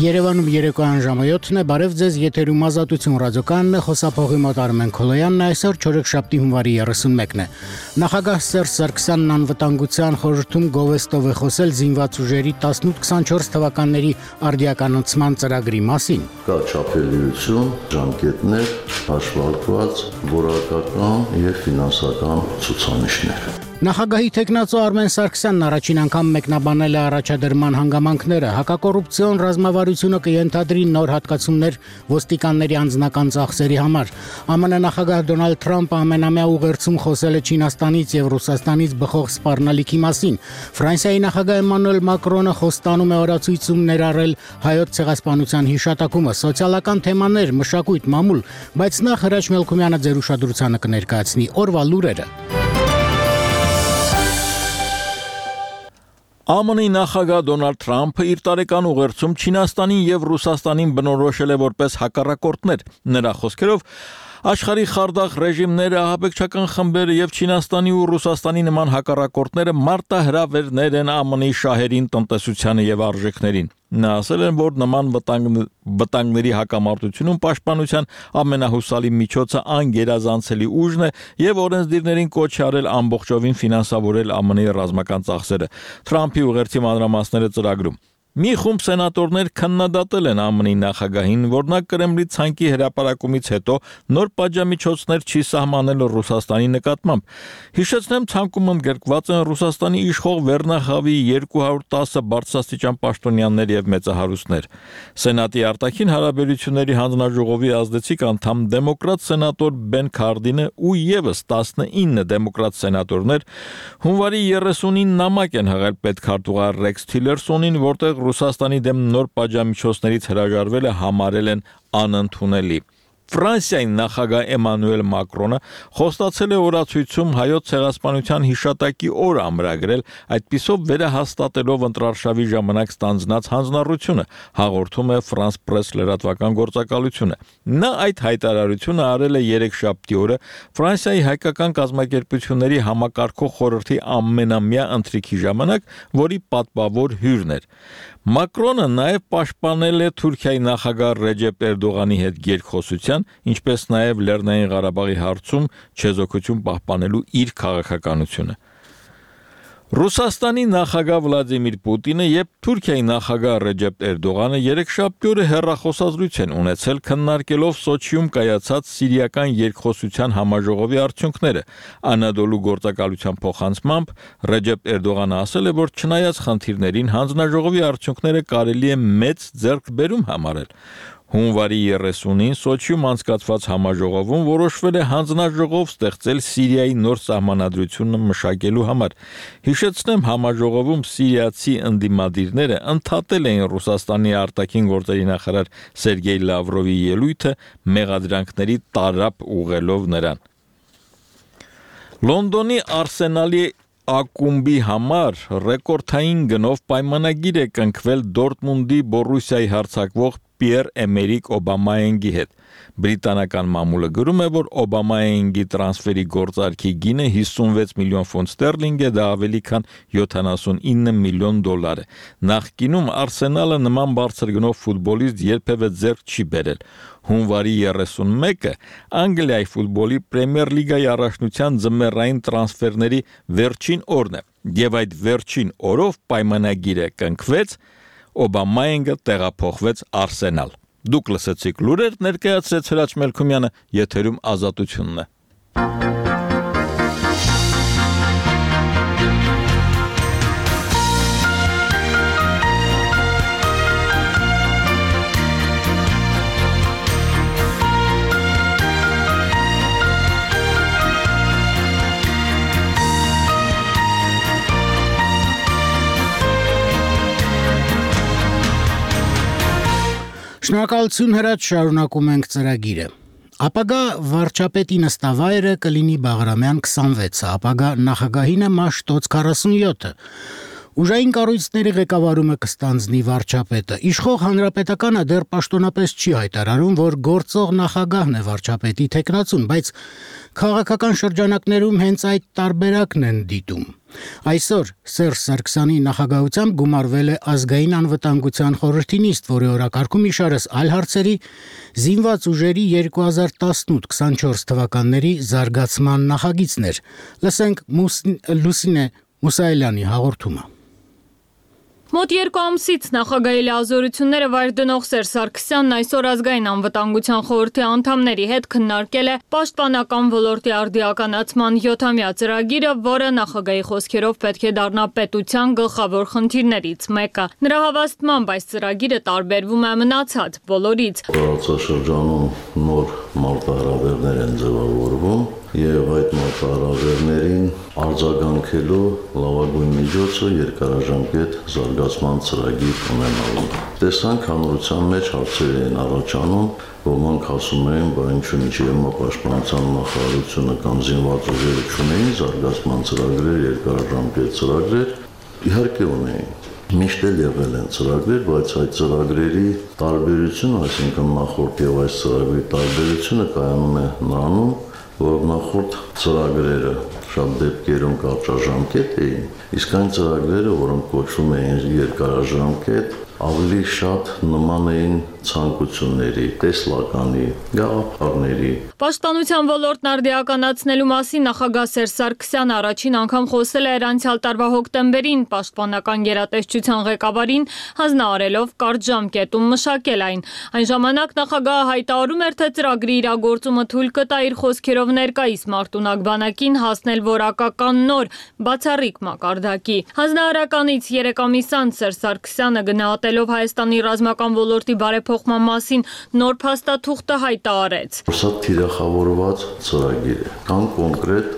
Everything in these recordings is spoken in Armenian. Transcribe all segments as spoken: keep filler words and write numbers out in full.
Երևանում երեկոյան ժամը յոթն է, բարև ձեզ, եթերում Ազատություն ռադիոկայանն է, խոսափողի մոտ Արմեն Քոլոյանն է, այսօր չորեքշաբթի հունվարի երեսունմեկն է։ Նախագահ Սերժ Սարգսյանն անվտանգության խորհրդում գովեստով է խոսել զինված ուժերի տասնութ քսանչորս թվականների արդիականացման ծրագրի մասին։ Կա չափելիություն, ժամկետներ, հաշվարկված, որակական և ֆինանսական ցուցանիշներ։ Նախագահի թեկնածու Արմեն Սարգսյանն առաջին անգամ մեկնաբանել է առաջադրման հանգամանքները, հակակոռուպցիոն ռազմավարությունը կենթադրի նոր հատկացումներ ոստիկանների անձնական ծախսերի համար։ ԱՄՆ նախագահ Դոնալդ Թրամփը ամենամյա ուղերձում խոսել է Չինաստանից և Ռուսաստանից բխող սպառնալիքի մասին։ Ֆրանսիայի նախագահ Էմանուել Մակրոնը խոստանում է օրացույցում ներառել հայոց ցեղասպանության հիշատակումը, սոցիալական թեմաներ, մշակույթ, մամուլ, բայց նախ Հրաչ Մելքումյանը ձեր ուշադրությանը կներկայացնի օրվա լուրերը։ ԱՄՆ-ի նախագահ Դոնալդ Թրամփը իր տարեկան ուղերձում Չինաստանին և Ռուսաստանին բնորոշել է որպես հակառակորդներ։ Նրա խոսքերով աշխարհի խարդախ ռեժիմները, ահաբեկչական խմբերը եւ Չինաստանի ու Ռուսաստանի նման հակառակորդները մարտահրավերներ են ԱՄՆ-ի շահերին, տնտեսությանը եւ արժեքներին։ Նա ասել է, որ նման վտանգների հակամարտությունում պաշտպանության ամենահուսալի միջոցը անգերազանցելի ուժն է եւ օրենսդիրներին կոչ է արել ամբողջովին ֆինանսավորել ԱՄՆ-ի ռազմական ծախսերը։ Թրամփի ուղերձի մանրամասները ծրագրում։ Մի խումբ սենատորներ քննադատել են ԱՄՆ-ի նախագահին, որ նա Կրեմլի ցանկի հրապարակումից հետո նոր պատժամիջոցներ չի սահմանել Ռուսաստանի նկատմամբ։ Հիշեցնեմ, ցանկում ընդգրկված են Ռուսաստանի իշխող Վերնախավի երկու հարյուր տասը բարձրաստիճան պաշտոնյաներ եւ մեծահարուստներ։ Սենատի արտաքին հարաբերությունների հանձնաժողովի ազդեցիկ անդամ դեմոկրատ սենատոր Բեն Քարդինը ու եւս տասնինը դեմոկրատ սենատորներ հունվարի երեսունին նամակ են հղել պետքարտուղար Ռեքս Թիլերսոնին, որտեղ Ռուսաստանի դեմ նոր պատժամիջոցներից հրաժարվելը համարել են անընդունելի։ Ֆրանսիայի նախագահ Էմանուել Մակրոնը խոստացել է օրացույցում հայոց ցեղասպանության հիշատակի օր ամրագրել, այդպիսով վերահաստատելով ընտրարշավի ժամանակ ստանձնած հանձնառությունը, հաղորդում է France Press լրատվական գործակալությունը։ Նա այդ հայտարարությունը արել է երեքշաբթի օրը Ֆրանսիայի հայկական կազմակերպությունների համակարգող խորհրդի ամենամյա ընթրիքի ժամանակ, որի պատվավոր հյուրն էր։ Մակրոնը նաև պաշտպանել է Թուրքիայի նախագահ Ռեջեփ Էրդողանի հետ երկխոսության, ինչպես նաև Լեռնային Ղարաբաղի հարցում չեզոքություն պահպանելու իր քաղաքականությունը։ Ռուսաստանի նախագահ Վլադիմիր Պուտինը եւ Թուրքիայի նախագահ Ռեջեփ Էրդողանը երեքշաբթի օրը հեռախոսազրույց են ունեցել, քննարկելով Սոչիում կայացած սիրիական երկխոսության համաժողովի արդյունքները։ Անադոլու գործակալության փոխանցմամբ Ռեջեփ Էրդողանը ասել է, որ չնայած խնդիրներին հանձնաժողովի արդյունքները կարելի է մեծ ձեռքբերում համարել։ Հունվարի երեսունին Սոչիում անցկացված համաժողովում որոշվել է հանձնաժողով ստեղծել Սիրիայի նոր սահմանադրությունը մշակելու համար։ Հիշեցնեմ, համաժողովում սիրիացի ընդդիմադիրները ընդհատել էին Ռուսաստանի արտաքին գործերի նախարար Սերգեյ Լավրովի ելույթը մեղադրանքների տարափ ուղղելով նրան։ Լոնդոնի Արսենալի ակումբի համար ռեկորդային գնով պայմանագիր է կնքվել Դորտմունդի Բորուսիայի հարձակվող Պիեր-Էմերիկ Օբամայենգի հետ։ Բրիտանական մամուլը գրում է, որ Օբամայենգի տրանսֆերի գործարքի գինը հիսունվեց միլիոն ֆունտ ստերլինգ է, դա ավելի քան յոթանասունինը միլիոն դոլար է։ Նախկինում Արսենալը նման բարձր գնով ֆուտբոլիստ երբևէ ձեռք չի բերել։ Հունվարի երեսունմեկը Անգլիայի ֆուտբոլի Պրեմիեր լիգայի առաջնության ձմեռային տրանսֆերների վերջին օրն է, եւ այդ վերջին օրով պայմանագիրը կնքվեց, Օբամայենգը տեղափոխվեց Արսենալ։ Դուք լսեցիք լուրեր, ներկայացրեց Հրաչ Մելքումյանը, եթերում Ազատությունն է։ Շնորհակալություն Հրաչ, շարունակում ենք ծրագիրը։ Ապագա վարչապետի նստավայրը կլինի Բաղրամյան քսանվեցը, ապագա նախագահինը Մաշտոց քառասունյոթը։ Ուժային կառույցների ղեկավարումը կստանձնի վարչապետը։ Իշխող հանրապետականը դեռ պաշտոնապես չի հայտարարում, որ գործող նախագահն է վարչապետի թեկնածուն, բայց քաղաքական շրջանակներում հենց այդ տարբերակն են դիտում։ Այսօր Սերժ Սարգսյանի նախագահությամբ գումարվել է ազգային անվտանգության խորհրդի նիստ, որի օրակարգում իշարս այլ հարցերի զինված ուժերի երկու հազար տասնութ քսանչորս թվականների զարգացման նախագիծներ։ Լսենք Լուսինե Մուսայելյանի հաղորդումը։ Մոտ երկու ամսից նախագահի լիազորությունները վայր դնող Սերժ Սարգսյանն այսօր ազգային անվտանգության խորհրդի անդամների հետ քննարկել է պաշտպանական ոլորտի արդիականացման յոթամյա ծրագիրը, որը նախագահի խոսքերով պետք է դառնա պետության գլխավոր խնդիրներից մեկը։ Նրա հավաստմամբ այս ծրագիրը տարբերվում է մնացած բոլորից։ Տարածաշրջանում նոր մարտահրավերներ են ձևավորվում եւ այդ մարտահրավերներին արձագանքելու լավագույն միջոցը երկարաժամկետ զարգացման ծրագիր ունենալն է։ Տեսանք հանրության մեջ հարցեր են առաջանում, ոմանք ասում էին, բա ինչու՞ ինչի հիմա պաշտպանության նախարարությունը կամ զինված ուժերը չունեին զարգացման ծրագրեր, երկարաժամկետ ծրագրեր, իհարկե ունեին։ Միշտ էլ եղել են ծրագրեր, բայց այդ ծրագրերի տարբերությունը, այսինքն նախորդ եւ այս ծրագրի տարբերությունը կայանում է նրանում, որ նախորդ ծրագրերը շատ դեպքերում կարճաժամկետ էին, իսկ այն ծրագրերը, որոնք կոչվում էին երկարաժամկետ, ավելի շատ նման էին ցանկությունների, տեսլականի, գաղափարների։ Պաշտպանության ոլորտն արդիականացնելու մասին նախագահ Սերժ Սարգսյանը առաջին անգամ խոսել է անցյալ տարվա հոկտեմբերին պաշտպանական գերատեսչության ղեկավարին, հանձնարարելով կարճ ժամկետում մշակել այն։ Այն ժամանակ նախագահը հայտարարում էր, թե ծրագրի իրագործումը թույլ կտա իր խոսքերով ներկայիս մարտունակ բանակին հասնել որակական նոր, բացառիկ մակարդակի։ Հանձնարարականից երեք ամիս անց Սերժ Սարգսյանը գնահատելով Հայաստանի ռազմական ոլորտի բարեփոխման մասին նոր փաստաթուղթը հայտարարեց։ Սա թիրախավորված ծրագիր է, կան կոնկրետ,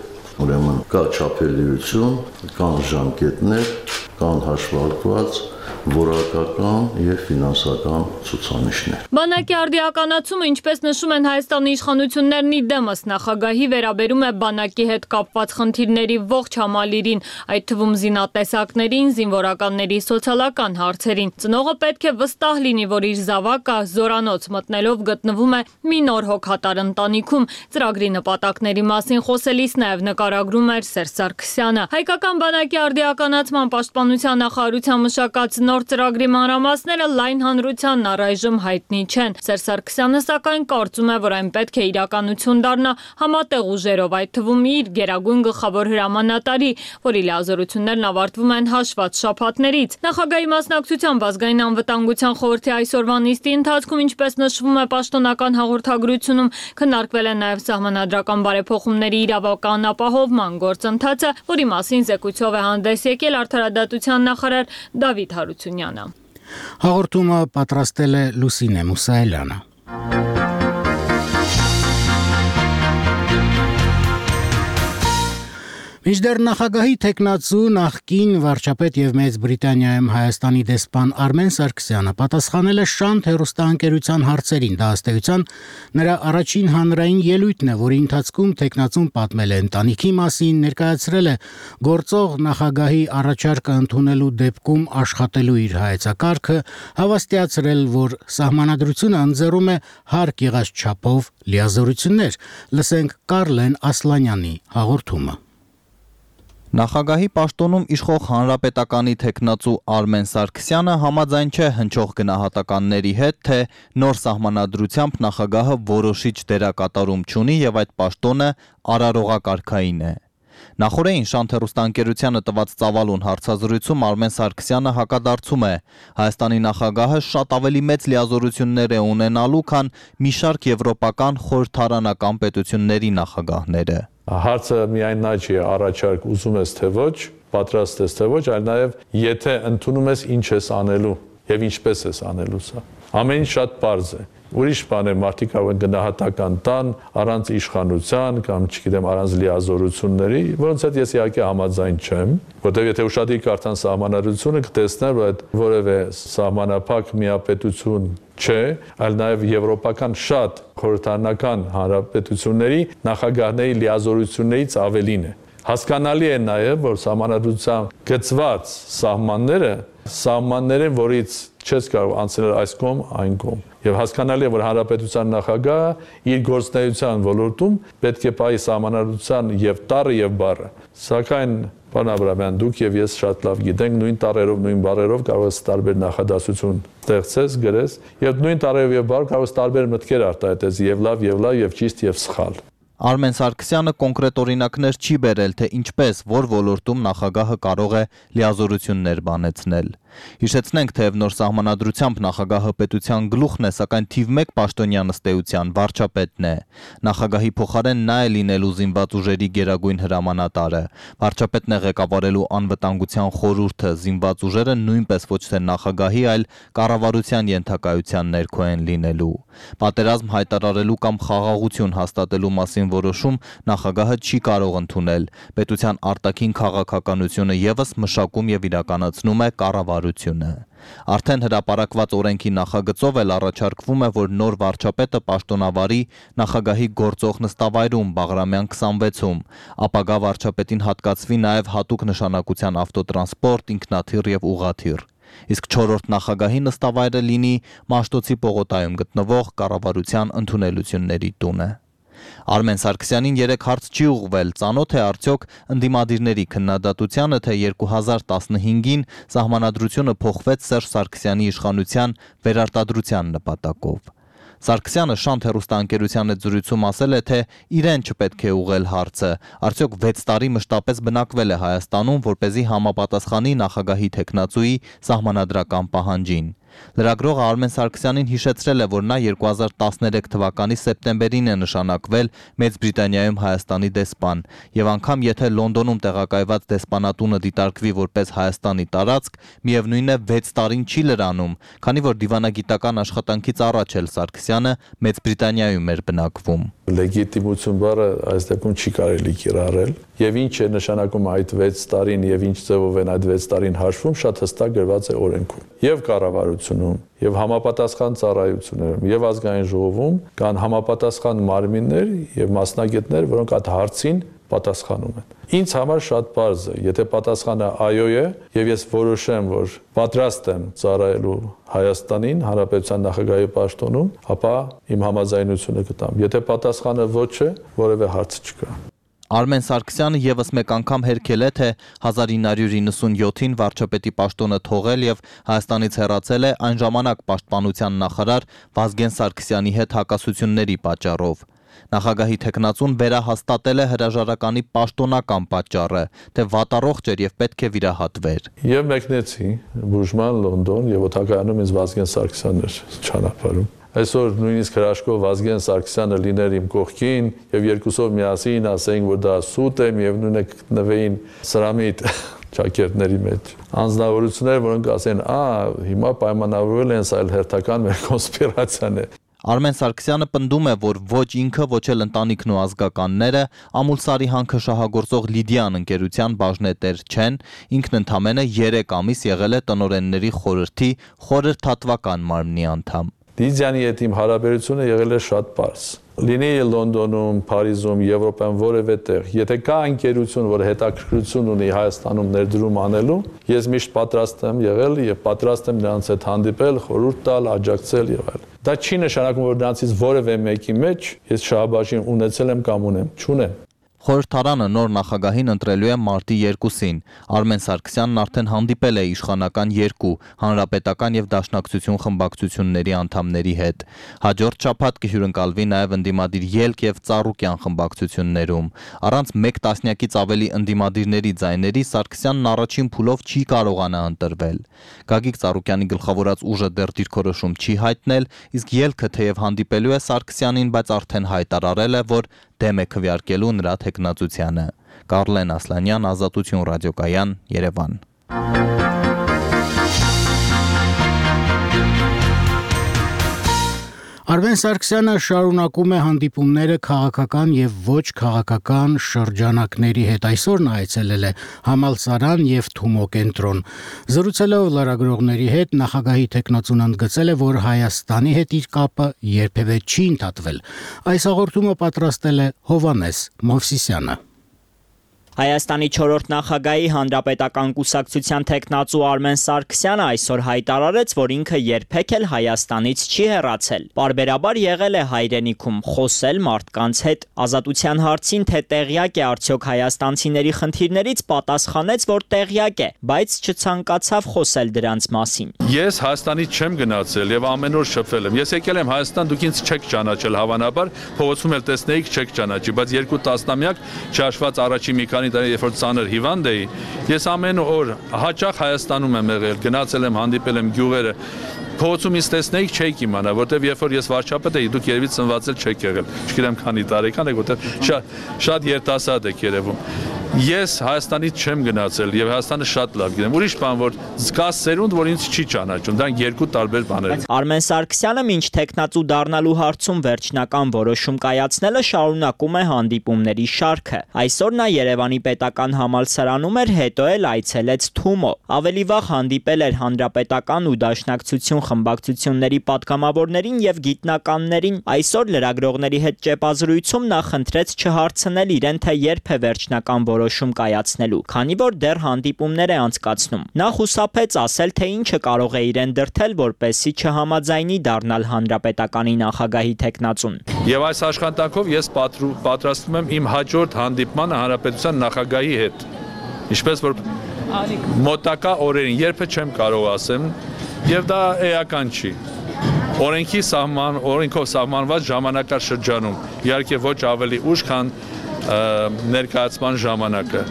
ուրեմն կա չափելիություն, կան ժամկետներ, կան հաշվարկված որակական եւ ֆինանսական ցուցանիշներ։ Բանակի արդիականացումը, ինչպես նշում են Հայաստանի իշխանություններն ի դեմս նախագահի, վերաբերում է բանակի հետ կապված խնդիրների ողջ համալիրին, այդ թվում զինատեսակներին, զինվորականների սոցիալական հարցերին։ Ծնողը պետք է վստահ լինի, որ իր զավակը զորանոց մտնելով գտնվում է մի նոր հոգատար ընտանիքում։ Ծրագրի նպատակների մասին խոսելիս նաև նկարագրում էր Սերժ Սարգսյանը։ Հայկական բանակի արդիականացման պաշտպանության նախարարության մշակած նոր ծրագրի մանրամասները լայն հանրությանն առայժմ հայտնի չեն։ Սերժ Սարգսյանը սակայն կարծում է, որ այն պետք է իրականություն դառնա համատեղ ուժերով, այդ թվում իր գերագույն գլխավոր հրամանատարի, որի լիազորություններն ավարտվում են հաշված շաբաթներից։ Նախագահի մասնակցությամբ ազգային անվտանգության խորհրդի այսօրվա նիստի ընթացքում, ինչպես նշվում է պաշտոնական հաղորդագրությունում, քննարկվել է նաև սահմանադրական բարեփոխումների իրավական ապահովման գործընթացը, որի մասին զեկույցով է հանդես եկել արդարադատության նախարար Դավիթ Հարությունյանը։ Հաղորդումը պատրաստել է Լուսինե Մուսայելյանը։ Մինչդեռ նախագահի թեկնածու նախկին վարչապետ եւ Մեծ Բրիտանիայում Հայաստանի դեսպան Արմեն Սարգսյանը պատասխանել է Շանթ հեռուստաընկերության հարցերին, դա ըստ էության նրա առաջին հանրային ելույթն է, որի ընթացքում թեկնածուն պատմել է ընտանիքի մասին, ներկայացրել է գործող նախագահի առաջարկը ընդունելու դեպքում աշխատելու իր հայեցակարգը, հավաստիացրել, որ սահմանադրությունը ընձեռում է հարկ եղած չափով լիազորություններ։ Լսենք Կարլեն Ասլանյանի հաղորդումը։ Նախագահի պաշտոնում իշխող հանրապետականի թեկնածու Արմեն Սարգսյանը համաձայն չէ հնչող գնահատականների հետ, թե նոր սահմանադրությամբ նախագահը որոշիչ դերակատարում չունի եւ այդ պաշտոնը արարողակարգային է։ Նախորդին Շանթ հեռուստաընկերությանը տված ծավալուն հարցազրույցում Արմեն Սարգսյանը հակադարձում է. Հայաստանի նախագահը շատ ավելի մեծ լիազորություններ է ունենալու, քան մի շարք եվրոպական խորհրդարանական պետությունների նախագահները։ Հարցը միայն նա չի, առաջարկ ուզում ես թե ոչ, պատրաստ ես թե ոչ, այլ նաև եթե ընդունում ես ինչ ես անելու եւ ինչպես ես անելու սա։ Ամեն ինչ շատ պարզ է։ Ուրիշ բան է, մարդիկ կարող են գնահատական տան առանց իշխանության կամ չգիտեմ առանց լիազորությունների, որոնց հետ ես իհարկե համաձայն չեմ, որտեղ եթե ուշադրի կարդան սահմանադրությունը կտեսնեն, որ այդ որևէ սահմանափակ միապետություն չէ, այլ նաև եվրոպական շատ խորհրդարանական հանրապետությունների նախագահների լիազորություններից ավելին է։ Հասկանալի է նաև, որ սահմանադրությամբ գծված սահմանները սահմաններ են, որից չես կարող անցնել այս կողմ, այն կողմ։ Եվ հասկանալի է, որ հանրապետության նախագահը իր գործունեության ոլորտում պետք է պահի սահմանադրության եւ տառը եւ բառը։ Սակայն Պարոն Աբրահամյան, դուք եւ ես շատ լավ գիտենք, նույն տառերով, նույն բառերով կարող ես տարբեր նախադասություն ստեղծես, գրես, եւ նույն տառերով եւ բառ կարող ես տարբեր մտքեր արտահայտես, եւ լավ, եւ լավ, եւ ճիշտ, եւ սխալ։ Արմեն Սարգսյանը կոնկրետ օրինակներ չի բերել, թե ինչպես, որ ոլորտում նախագահը կարող է լիազորություններ բանեցնել։ Հիշեցնենք, թեև նոր սահմանադրությամբ նախագահը պետության գլուխն է, սակայն թիվ մեկ պաշտոնյան ըստ էության վարչապետն է։ Նախագահի փոխարեն նա է լինելու զինված ուժերի գերագույն հրամանատարը։ Վարչապետն է ղեկավարելու անվտանգության խորհուրդը, զինված ուժերը նույնպես ոչ թե նախագահի, այլ կառավարության ենթակայության ներքո են լինելու։ Պատերազմ հայտարարելու կամ խաղաղություն հաստատելու մասին որոշում նախագահը չի կարող ընդունել։ Պետության արտաքին քաղաքականությունը ևս մշակում եւ իրականացնում է կառավարությունը։ Արդեն հրապարակված օրենքի նախագծով էլ առաջարկվում է, որ նոր վարչապետը պաշտոնավարի նախագահի գործող նստավայրում Բաղրամյան քսանվեցում, ապագա վարչապետին հատկացվի նաև հատուկ նշանակության ավտոտրանսպորտ, ինքնաթիռ եւ ուղղաթիռ։ Իսկ չորրորդ նախագահի նստավայրը լինի Մաշտոցի պողոտայում գտնվող կառավարության ընդունելությունների տունը։ Արմեն Սարգսյանին երեք հարց չի ուղղվել, ծանոթ է արդյոք ընդդիմադիրների քննադատությանը, թե երկու հազար տասնհինգին սահմանադրությունը փոխվեց Սերժ Սարգսյանի իշխանության վերարտադրության նպատակով։ Սարգսյանը Շանթ հեռուստաընկերության հետ զրույցում ասել է, թե իրեն չպետք է ուղղել հարցը, արդյոք վեց տարի մշտապես բնակվել է Հայաստանում, որպեսզի համապատասխանի նախագահի թեկնածուի սահմանադրական պահանջին։ Լրագրողը Արմեն Սարգսյանին հիշեցրել է, որ նա երկու հազար տասներեք թվականի սեպտեմբերին է նշանակվել Մեծ Բրիտանիայում Հայաստանի դեսպան, եւ անգամ եթե Լոնդոնում տեղակայված դեսպանատունը դիտարկվի որպես Հայաստանի տարածք, միևնույն է վեց տարին չի լրանում, քանի որ դիվանագիտական աշխատանքից առաջ էլ Սարգսյանը Մեծ Բրիտանիայում էր բնակվում։ Լեգիտիմություն բառը այս դեպքում չի կարելի կիրառել, եւ ինչ է նշանակում այդ վեց տարին եւ ինչ ձևով են այդ վեց տարին հաշվում, շատ հստակ գրված է օրենքում։ Եվ կառավարությունում, եւ համապատասխան ծառայություններում, եւ ազգային ժողովում կան համապատասխան մարմիններ եւ մասնագետներ, որոնք այդ հարցին պատասխանում են։ Ինձ համար շատ պարզ է, եթե պատասխանը այո է, եւ ես որոշեմ, որ պատրաստ եմ ծառայելու Հայաստանին, Հանրապետության նախագահի պաշտոնում, ապա իմ համաձայնությունը կտամ։ Եթե պատասխանը ոչ է, որևէ հարց չկա։ Արմեն Սարգսյանը ևս մեկ անգամ հերքել է, թե հազար ինը հարյուր իննսունյոթին վարչապետի պաշտոնը թողել եւ Հայաստանից հեռացել է այն ժամանակ պաշտպանության նախարար Վազգեն Սարգսյանի հետ հակասությունների պատճառով։ Նախագահի թեկնածուն վերահաստատել է հրաժարականի պաշտոնական պատճառը, թե վատառողջ էր եւ պետք է վիրահատվեր։ Եվ մեկնեցի բուժման Լոնդոն եւ օտակայանում ինձ Վազգեն Սարգսյանն էր ճանապարհում։ Այսօր նույնիսկ հրաշքով Վազգեն Սարգսյանը լիներ իմ կողքին եւ երկուսով միասին ասեին, որ դա սուտ է, միևնույն է գտնվեին սրամի ճակերտների մեջ։ Անձնավորություններ, որոնք ասեն, «Ա, հիմա պայմանավորվել են, սա էլ հերթական մեր կոնսպիրացիան է»։ Արմեն Սարգսյանը պնդում է, որ ոչ ինքը, ոչ էլ ընտանիքն ու ազգականները Ամուլսարի հանքը շահագործող Լիդիան ընկերության բաժնետեր չեն, ինքն ընդամենը երեք ամիս եղել է տնօրենների խորհրդի խորհրդատվական մարմնի անդամ։ Լիդիանի հետ իմ հարաբերությունը եղել է շատ պարզ։ Լինի Լոնդոնում, Փարիզում, Եվրոպայում որևէ տեղ, եթե կա ընկերություն, որ հետաքրքրություն ունի Հայաստանում ներդրում անելու, ես միշտ պատրաստ եմ եղել եւ պատրաստ եմ նրանց հետ հանդիպել, խորհուրդ տալ, աջակցել եւ այլն։ Դա չի նշանակում, որ նրանցից որևէ մեկի մեջ ես շահաբաժին ունեցել եմ կամ ունեմ, չունեմ։ Խորհրդարանը նոր նախագահին ընտրելու է մարտի երկուսին։ Արմեն Սարգսյանն արդեն հանդիպել է իշխանական երկու հանրապետական եւ դաշնակցություն խմբակցությունների անդամների հետ։ Հաջորդ շաբաթ կհյուրընկալվի նաեւ ընդդիմադիր Ելք եւ Ծառուկյան խմբակցություններում։ Առանց մեկ տասնյակից ավելի ընդդիմադիրների ձայների Սարգսյանն առաջին փուլով չի կարողանա ընտրվել։ Գագիկ Ծառուկյանի գլխավորած ուժը դեռ դիրքորոշում չի հայտնել, իսկ Ելքը թեև հանդիպելու է Սարգսյանին, բայց արդեն հայտարարել է, որ դեմ է քվեարկելու նրա թեկնածությանը։ Կարլեն Ասլանյան, Ազատություն ռադիոկայան, Երևան։ Արմեն Սարգսյանը շարունակում է հանդիպումները քաղաքական եւ ոչ քաղաքական շրջանակների հետ։ Այսօր նա այցելել է Համալսարան եւ Թումո կենտրոն։ Զրուցելով լրագրողների հետ նախագահի թեկնածուն ընդգծել է, որ Հայաստանի հետ իր կապը երբևէ չի ընդհատվել։ Այս հաղորդումը պատրաստել է Հովանես Մովսիսյանը։ Հայաստանի չորրորդ նախագահի հանրապետական կուսակցության տեխնացու Արմեն Սարգսյանը այսօր հայտարարեց, որ ինքը երբեք էլ Հայաստանից չի հեռացել։ Պարբերաբար եղել է հայրենիքում, խոսել մարդկանց հետ։ Ազատության հարցին, թե տեղյակ է արդյոք հայաստանցիների խնդիրներից, պատասխանեց, որ տեղյակ է, բայց չցանկացավ խոսել դրանց մասին։ Ես Հայաստանից չեմ գնացել եւ ամեն օր շփվել եմ։ Ես եկել եմ Հայաստան, դուք ինձ չեք ճանաչել հավանաբար, փողոցում էլ տեսնեիք, չեք ճանաչի, բայց երկու տասնամյակ չհաշված առաջի մի քանի տարի, երբ որ ծանր հիվանդ էի, ես ամեն օր հաճախ Հայաստանում եմ եղել, գնացել եմ, հանդիպել եմ գյուղերը, փողոցում ինձ տեսնեիք, չեք իմանա, որտեվ երբ որ ես վարչապետ էի, դուք երևի ծնվածել չեք եղել, չգիտեմ քանի տարեկան եք, որտեվ շատ շատ երիտասարդ եք երևում։ Ես Հայաստանից չեմ գնացել եւ Հայաստանը շատ լավ գիտեմ։ Ուրիշ բան, որ կա սերունդ, որ ինձ չի ճանաչում, դա երկու տարբեր բաներ են։ Արմեն Սարգսյանը մինչ տեխնացու դառնալու հարցում վերջնական որոշում կայացնելը շարունակում է հանդիպումների շարքը։ Այսօր նա Երևանի պետական համալսարանում էր, հետո էլ այցելեց Թումո։ Ավելի վաղ հանդիպել էր հանրապետական ու դաշնակցություն խմբակցությունների պատգամավորներին եւ գիտնականներին։ Այսօր լրագրողների հետ ճեպազրույցում նա խնդրեց չհարցնել իրեն, թե երբ է վերջնական որոշում կայացնելու, քանի որ դեռ հանդիպումներ է անցկացնում։ Նա խուսափեց ասել, թե ինչը կարող է իրեն դրդել, որպեսզի չհամաձայնի դառնալ հանրապետականի նախագահի տեխնացուն։ Եվ այս աշխատանքով ես պատրաստվում եմ իմ հաջորդ հանդիպմանը հանրապետության նախագահի հետ։ Ինչպես որ մոտակա օրերին երբե չեմ կարող ասեմ, եւ դա էական չի։ Օրենքի սահման, օրենքով սահմանված ժամանակաշրջանում, իհարկե ոչ ավելի ուշ, քան ներկայացման ժամանակը,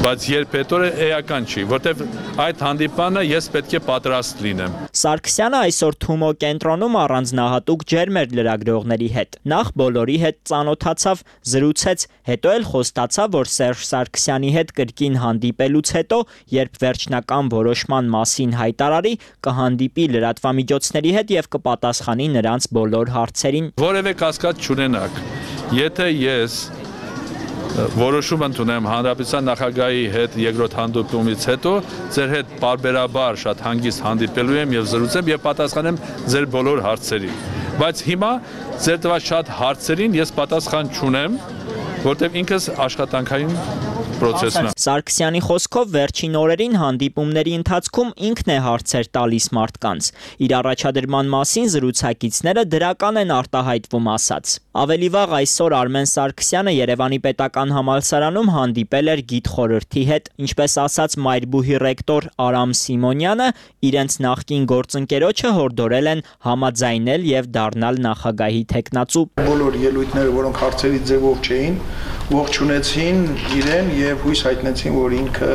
բայց երբ հետո էական չի, որտեվ այդ հանդիպանը ես պետք է պատրաստ լինեմ։ Սարգսյանը այսօր Թումո կենտրոնում առանձնահատուկ ջերմ էր լրագրողների հետ։ Նախ բոլորի հետ ծանոթացավ, զրուցեց, հետո էլ խոստացավ, որ Սերժ Սարգսյանի հետ կրկին հանդիպելուց հետո, երբ վերջնական որոշման մասին հայտարարի, կհանդիպի լրատվամիջոցների հետ եւ կպատասխանի նրանց բոլոր հարցերին։ Որևէ կասկած չունենաք, եթե ես որոշում ընդունեմ հանրապետության նախագահի հետ երկրորդ հանդիպումից հետո, ձեր հետ պարբերաբար շատ հանգիստ հանդիպելու եմ եւ զրուցեմ եւ պատասխանեմ ձեր բոլոր հարցերին։ Բայց հիմա ձեր տված շատ հարցերին ես պատասխան չունեմ, որտեվ ինքս աշխատանքային պրոցեսն է։ Սարգսյանի խոսքով վերջին օրերին հանդիպումների ընթացքում ինքն է հարցեր տալիս մարդկանց։ Իր առաջադրման մասին զրուցակիցները դրական են արտահայտվում ասած։ Ավելի վաղ այսօր Արմեն Սարգսյանը Երևանի պետական համալսարանում հանդիպել էր գիտխորհրդի հետ, ինչպես ասաց Մայրբուհի ռեկտոր Արամ Սիմոնյանը, իրենց նախկին գործընկերոջը հորդորել են համաձայնել եւ դառնալ նախագահի տեխնացու։ Բոլոր ելույթները, որոնք հարցերի ձևով չէին, ողջունեցին իրեն եւ հույս հայտնեցին, որ ինքը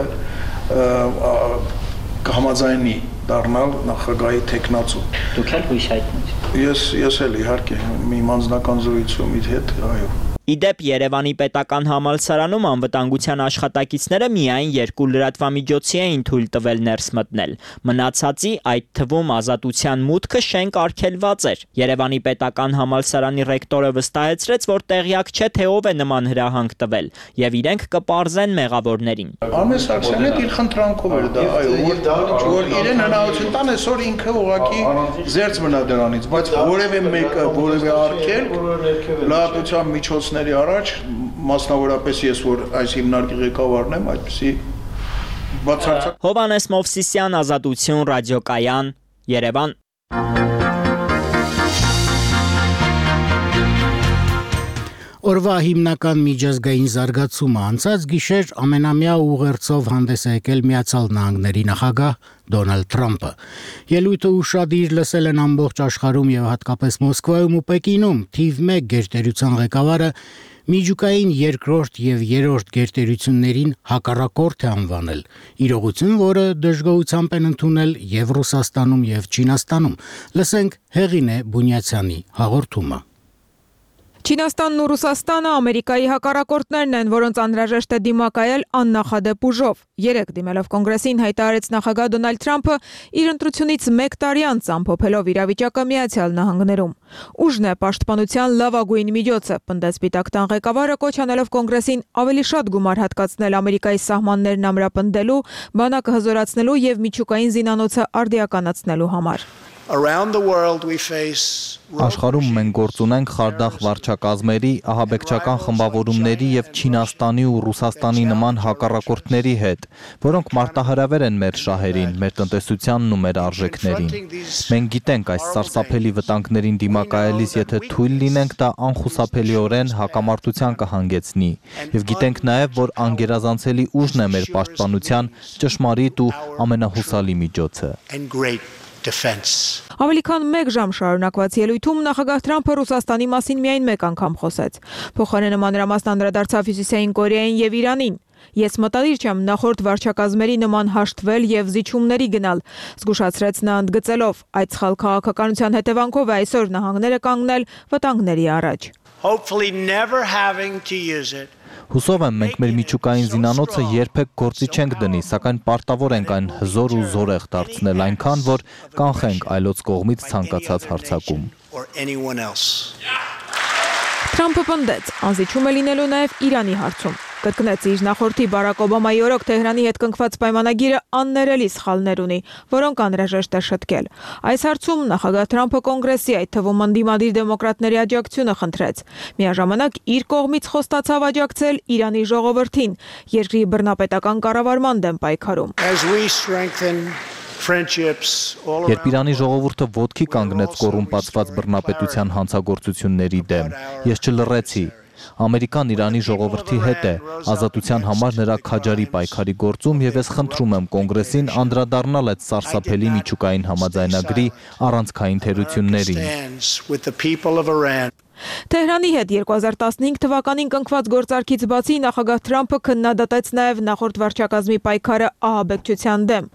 կհամաձայնի դառնալ նախագահի տեխնացու։ Դուք էլ հույս հայտնեցիք։ Ես ես էլ իհարկե մի անձնական զրույցում իր հետ, այո։ Իդեպ Երևանի պետական համալսարանում անվտանգության աշխատակիցները միայն երկու լրատվամիջոցի էին թույլ տվել ներս մտնել։ Մնացածի, այդ թվում Ազատության մուտքը շենք արգելված էր։ Երևանի պետական համալսարանի ռեկտորը վստահեցրեց, որ տեղյակ չէ, թե ով է նման հրահանգ տվել, եւ իրենք կպարզեն մեղավորներին։ Արմեն Սարգսյանը իր խնդրանքով էր դա, այո, որ իրեն հնարավորություն տան, այսօր ինքը ուղղակի զերծ մնա դրանից, բայց որևէ մեկը, որևէ արգելք լրատվության միջոցներ առաջ, մասնավորապես ես, որ այս հիմնարկի ղեկավարն եմ, այդպիսի բացարձակ։ Հովհաննես Մովսիսյան, Ազատություն, ռադիոկայան, Երևան։ Օրվա հիմնական միջազգային զարգացումը անցած գիշեր ամենամյա ուղերձով հանդես է եկել Միացյալ Նահանգների նախագահ Դոնալդ Թրամփը։ Ելույթը ուշադիր լսել են ամբողջ աշխարհում եւ հատկապես Մոսկվայում ու Պեկինում։ Թիվ մեկ գերտերության ղեկավարը միջուկային երկրորդ եւ երրորդ գերտերություններին հակառակորդ է անվանել։ Իրողություն, որը դժգոհությամբ են ընդունել եւ Ռուսաստանում եւ Չինաստանում։ Լսենք Հեղինե Բունյացյանի հաղորդումը։ Չինաստանն ու Ռուսաստանը Ամերիկայի հակառակորդներն են, որոնց անհրաժեշտ է դիմակայել աննախադեպ ուժով։ Երեկ դիմելով կոնգրեսին հայտարարեց նախագահ Դոնալդ Թրամփը իր ընտրությունից մեկ տարի անց ամփոփելով իրավիճակը Միացյալ Նահանգներում։ Ուժն է պաշտպանության լավագույն միջոցը, պնդեց Սպիտակ տան ղեկավարը, կոչ անելով կոնգրեսին ավելի շատ գումար հատկացնել Ամերիկայի սահմաններն ամրապնդելու, բանակը հզորացնելու եւ միջուկային զինանոցը արդիականացնելու համար։ Around the world we face Աշխարհում մենք գործ ունենք խարդախ վարչակազմերի, ահաբեկչական խմբավորումների եւ Չինաստանի ու Ռուսաստանի նման հակառակորդների հետ, որոնք մարտահրավեր են մեր շահերին, մեր տնտեսությանն ու մեր արժեքներին։ Մենք գիտենք այս սարսափելի վտանգներին դիմակայելիս, եթե թույլ լինենք, դա անխուսափելիորեն հակամարտության կհանգեցնի, եւ գիտենք նաեւ, որ անգերազանցելի ուժն է մեր պաշտպանության ճշմարիտ ու ամենահուսալի միջոցը։ Ավելի քան մեկ ժամ շարունակված ելույթում նախագահ Թրամփը Ռուսաստանի մասին միայն մեկ անգամ խոսեց։ Փոխարենը մանրամասն անդրադարձավ Հյուսիսային Կորեային եւ Իրանին։ Ես մտադիր չեմ նախորդ վարչակազմերի նման հաշտվել եւ զիջումների գնալ, զգուշացրեց նա ընդգծելով, այդ սխալ քաղաքականության հետևանքով է այսօր նահանգները կանգնել վտանգների առաջ։ Hopefully never having to use it. Հուսով եմ, մենք մեր միջուկային զինանոցը երբեք գործի չենք դնի, սակայն պարտավոր ենք այն հզոր ու զորեղ դարձնել այնքան, որ կանխենք այլոց կողմից ցանկացած հարձակում։ Թրամփը պնդեց, անզիջում է լինելու նաև Իրանի հարցում։ Կրկնեց իր նախորդի Բարակ Օբամայի օրոք Թեհրանի հետ կնքված պայմանագիրը աններելի սխալներ ունի, որոնք անհրաժեշտ է շտկել։ Այս հարցում նախագահ Թրամփը կոնգրեսի, այդ թվում ընդդիմադիր դեմոկրատների աջակցությունը խնդրեց։ Միաժամանակ իր կողմից խոստացավ աջակցել Իրանի ժողովրդին, երկրի բռնապետական կառավարման դեմ պայքարում։ Երբ Իրանի ժողովուրդը ոտքի կանգնեց կոռումպացված բռնապետության հանցագործությունների դեմ, ես չլռեցի։ Ամերիկան Իրանի ժողովրդի հետ է, ազատության համար նրա քաջարի պայքարի գործում եւ ես խնդրում եմ կոնգրեսին անդրադառնալ այդ սարսափելի միջուկային համաձայնագրի առանցքային թերություններին։ Թեհրանի հետ երկու հազար տասնհինգ թվականին կնքված գործարքից բացի նախագահ Թրամփը քննադատեց նաև նախորդ վարչակազմի պայքարը ահաբեկչության դեմ։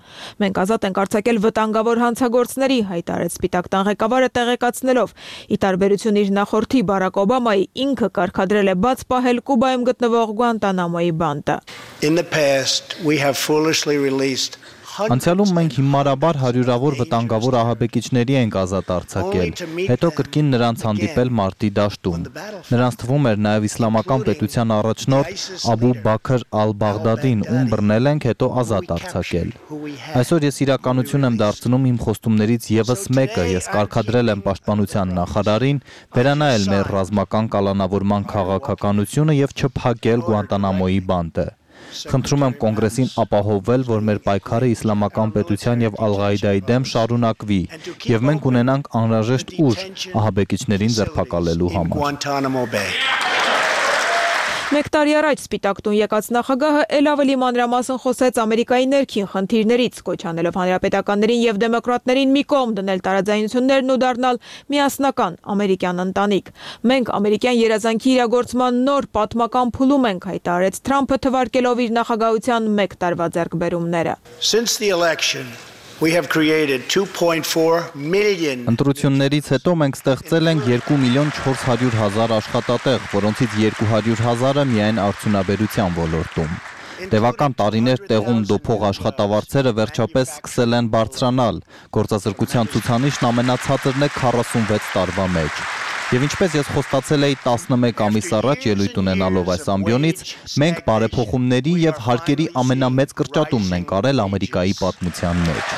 Մենք ազատ ենք արձակել վտանգավոր հանցագործների, հայտարարեց Սպիտակ տան ղեկավարը տեղեկացնելով, ի տարբերություն իր նախորդի Բարակ Օբամայի, ինքը կարգադրել է բաց պահել Կուբայում գտնվող Գուանտանամոյի բանտը։ In the past we have foolishly released Անցյալում մենք հիմարաբար հարյուրավոր վտանգավոր ահաբեկիչների ենք ազատ արձակել, հետո կրկին նրանց հանդիպել մարտի դաշտում։ Նրանց թվում էր նաև իսլամական պետության առաջնորդ Աբու Բաքր ալ-Բաղդադին, ում բռնել ենք, հետո ազատ արձակել։ Այսօր ես իրականություն եմ դարձնում իմ խոստումներից եւս մեկը, ես կարգադրել եմ պաշտպանության նախարարին վերանայել մեր ռազմական կալանավորման քաղաքականությունը եւ չփակել Գուանտանամոյի բանտը։ Խնդրում եմ կոնգրեսին ապահովել, որ մեր պայքարը իսլամական պետության եւ Ալ-Ղաիդայի դեմ շարունակվի եւ մենք ունենանք անհրաժեշտ ուժ ահաբեկիչներին ձերբակալելու համար։ Մեկ տարի առաջ Սպիտակ տուն եկած նախագահը ել ավելի մանրամասն խոսեց Ամերիկայի ներքին խնդիրներից, կոչ անելով հանրապետականներին եւ դեմոկրատներին մի կողմ դնել տարաձայնություններն ու դառնալ միասնական ամերիկյան ընտանիք։ Մենք ամերիկյան երազանքի իրագործման նոր պատմական փուլում ենք, հայտարարեց Թրամփը թվարկելով իր նախագահության մեկ տարվա ձեռքբերումները։ Since the election we have created two point four million Ընտրություններից հետո մենք ստեղծել ենք երկու միլիոն չորս հարյուր հազար աշխատատեղ, որոնցից երկու հարյուր հազարը միայն արդյունաբերության ոլորտում։ Տևական տարիներ տեղում դոփող աշխատավարձերը վերջապես սկսել են բարձրանալ։ Գործազրկության ցուցանիշն ամենացածրն է քառասունվեց տարվա մեջ։ Եվ ինչպես ես խոստացել էի տասնմեկ ամիս առաջ ելույթ ունենալով այս ամբիոնից, մենք բարեփոխումների եւ հարկերի ամենամեծ կրճատումն ենք արել Ամերիկայի պատմության մեջ։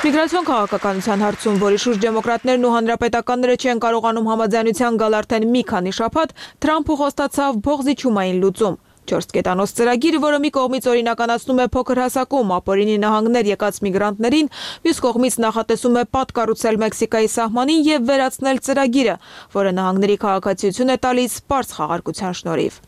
Միգրացիոն քաղաքականության հարցում, որի շուրջ դեմոկրատներն ու հանրապետականները չեն կարողանում համաձայնության գալ արդեն մի քանի շաբաթ, Թրամփը խոստացավ փոխզիջումային լուծում։ Չորս կետանոց ծրագիր, որը մի կողմից օրինականացնում է փոքր հասակում ապօրինի նահանգներ եկած միգրանտներին, մյուս կողմից նախատեսում է պատ կառուցել Մեքսիկայի սահմանին եւ վերացնել ծրագիրը, որը նահանգների քաղաքացիություն է տալիս պարզ խաղարկության շնորհիվ։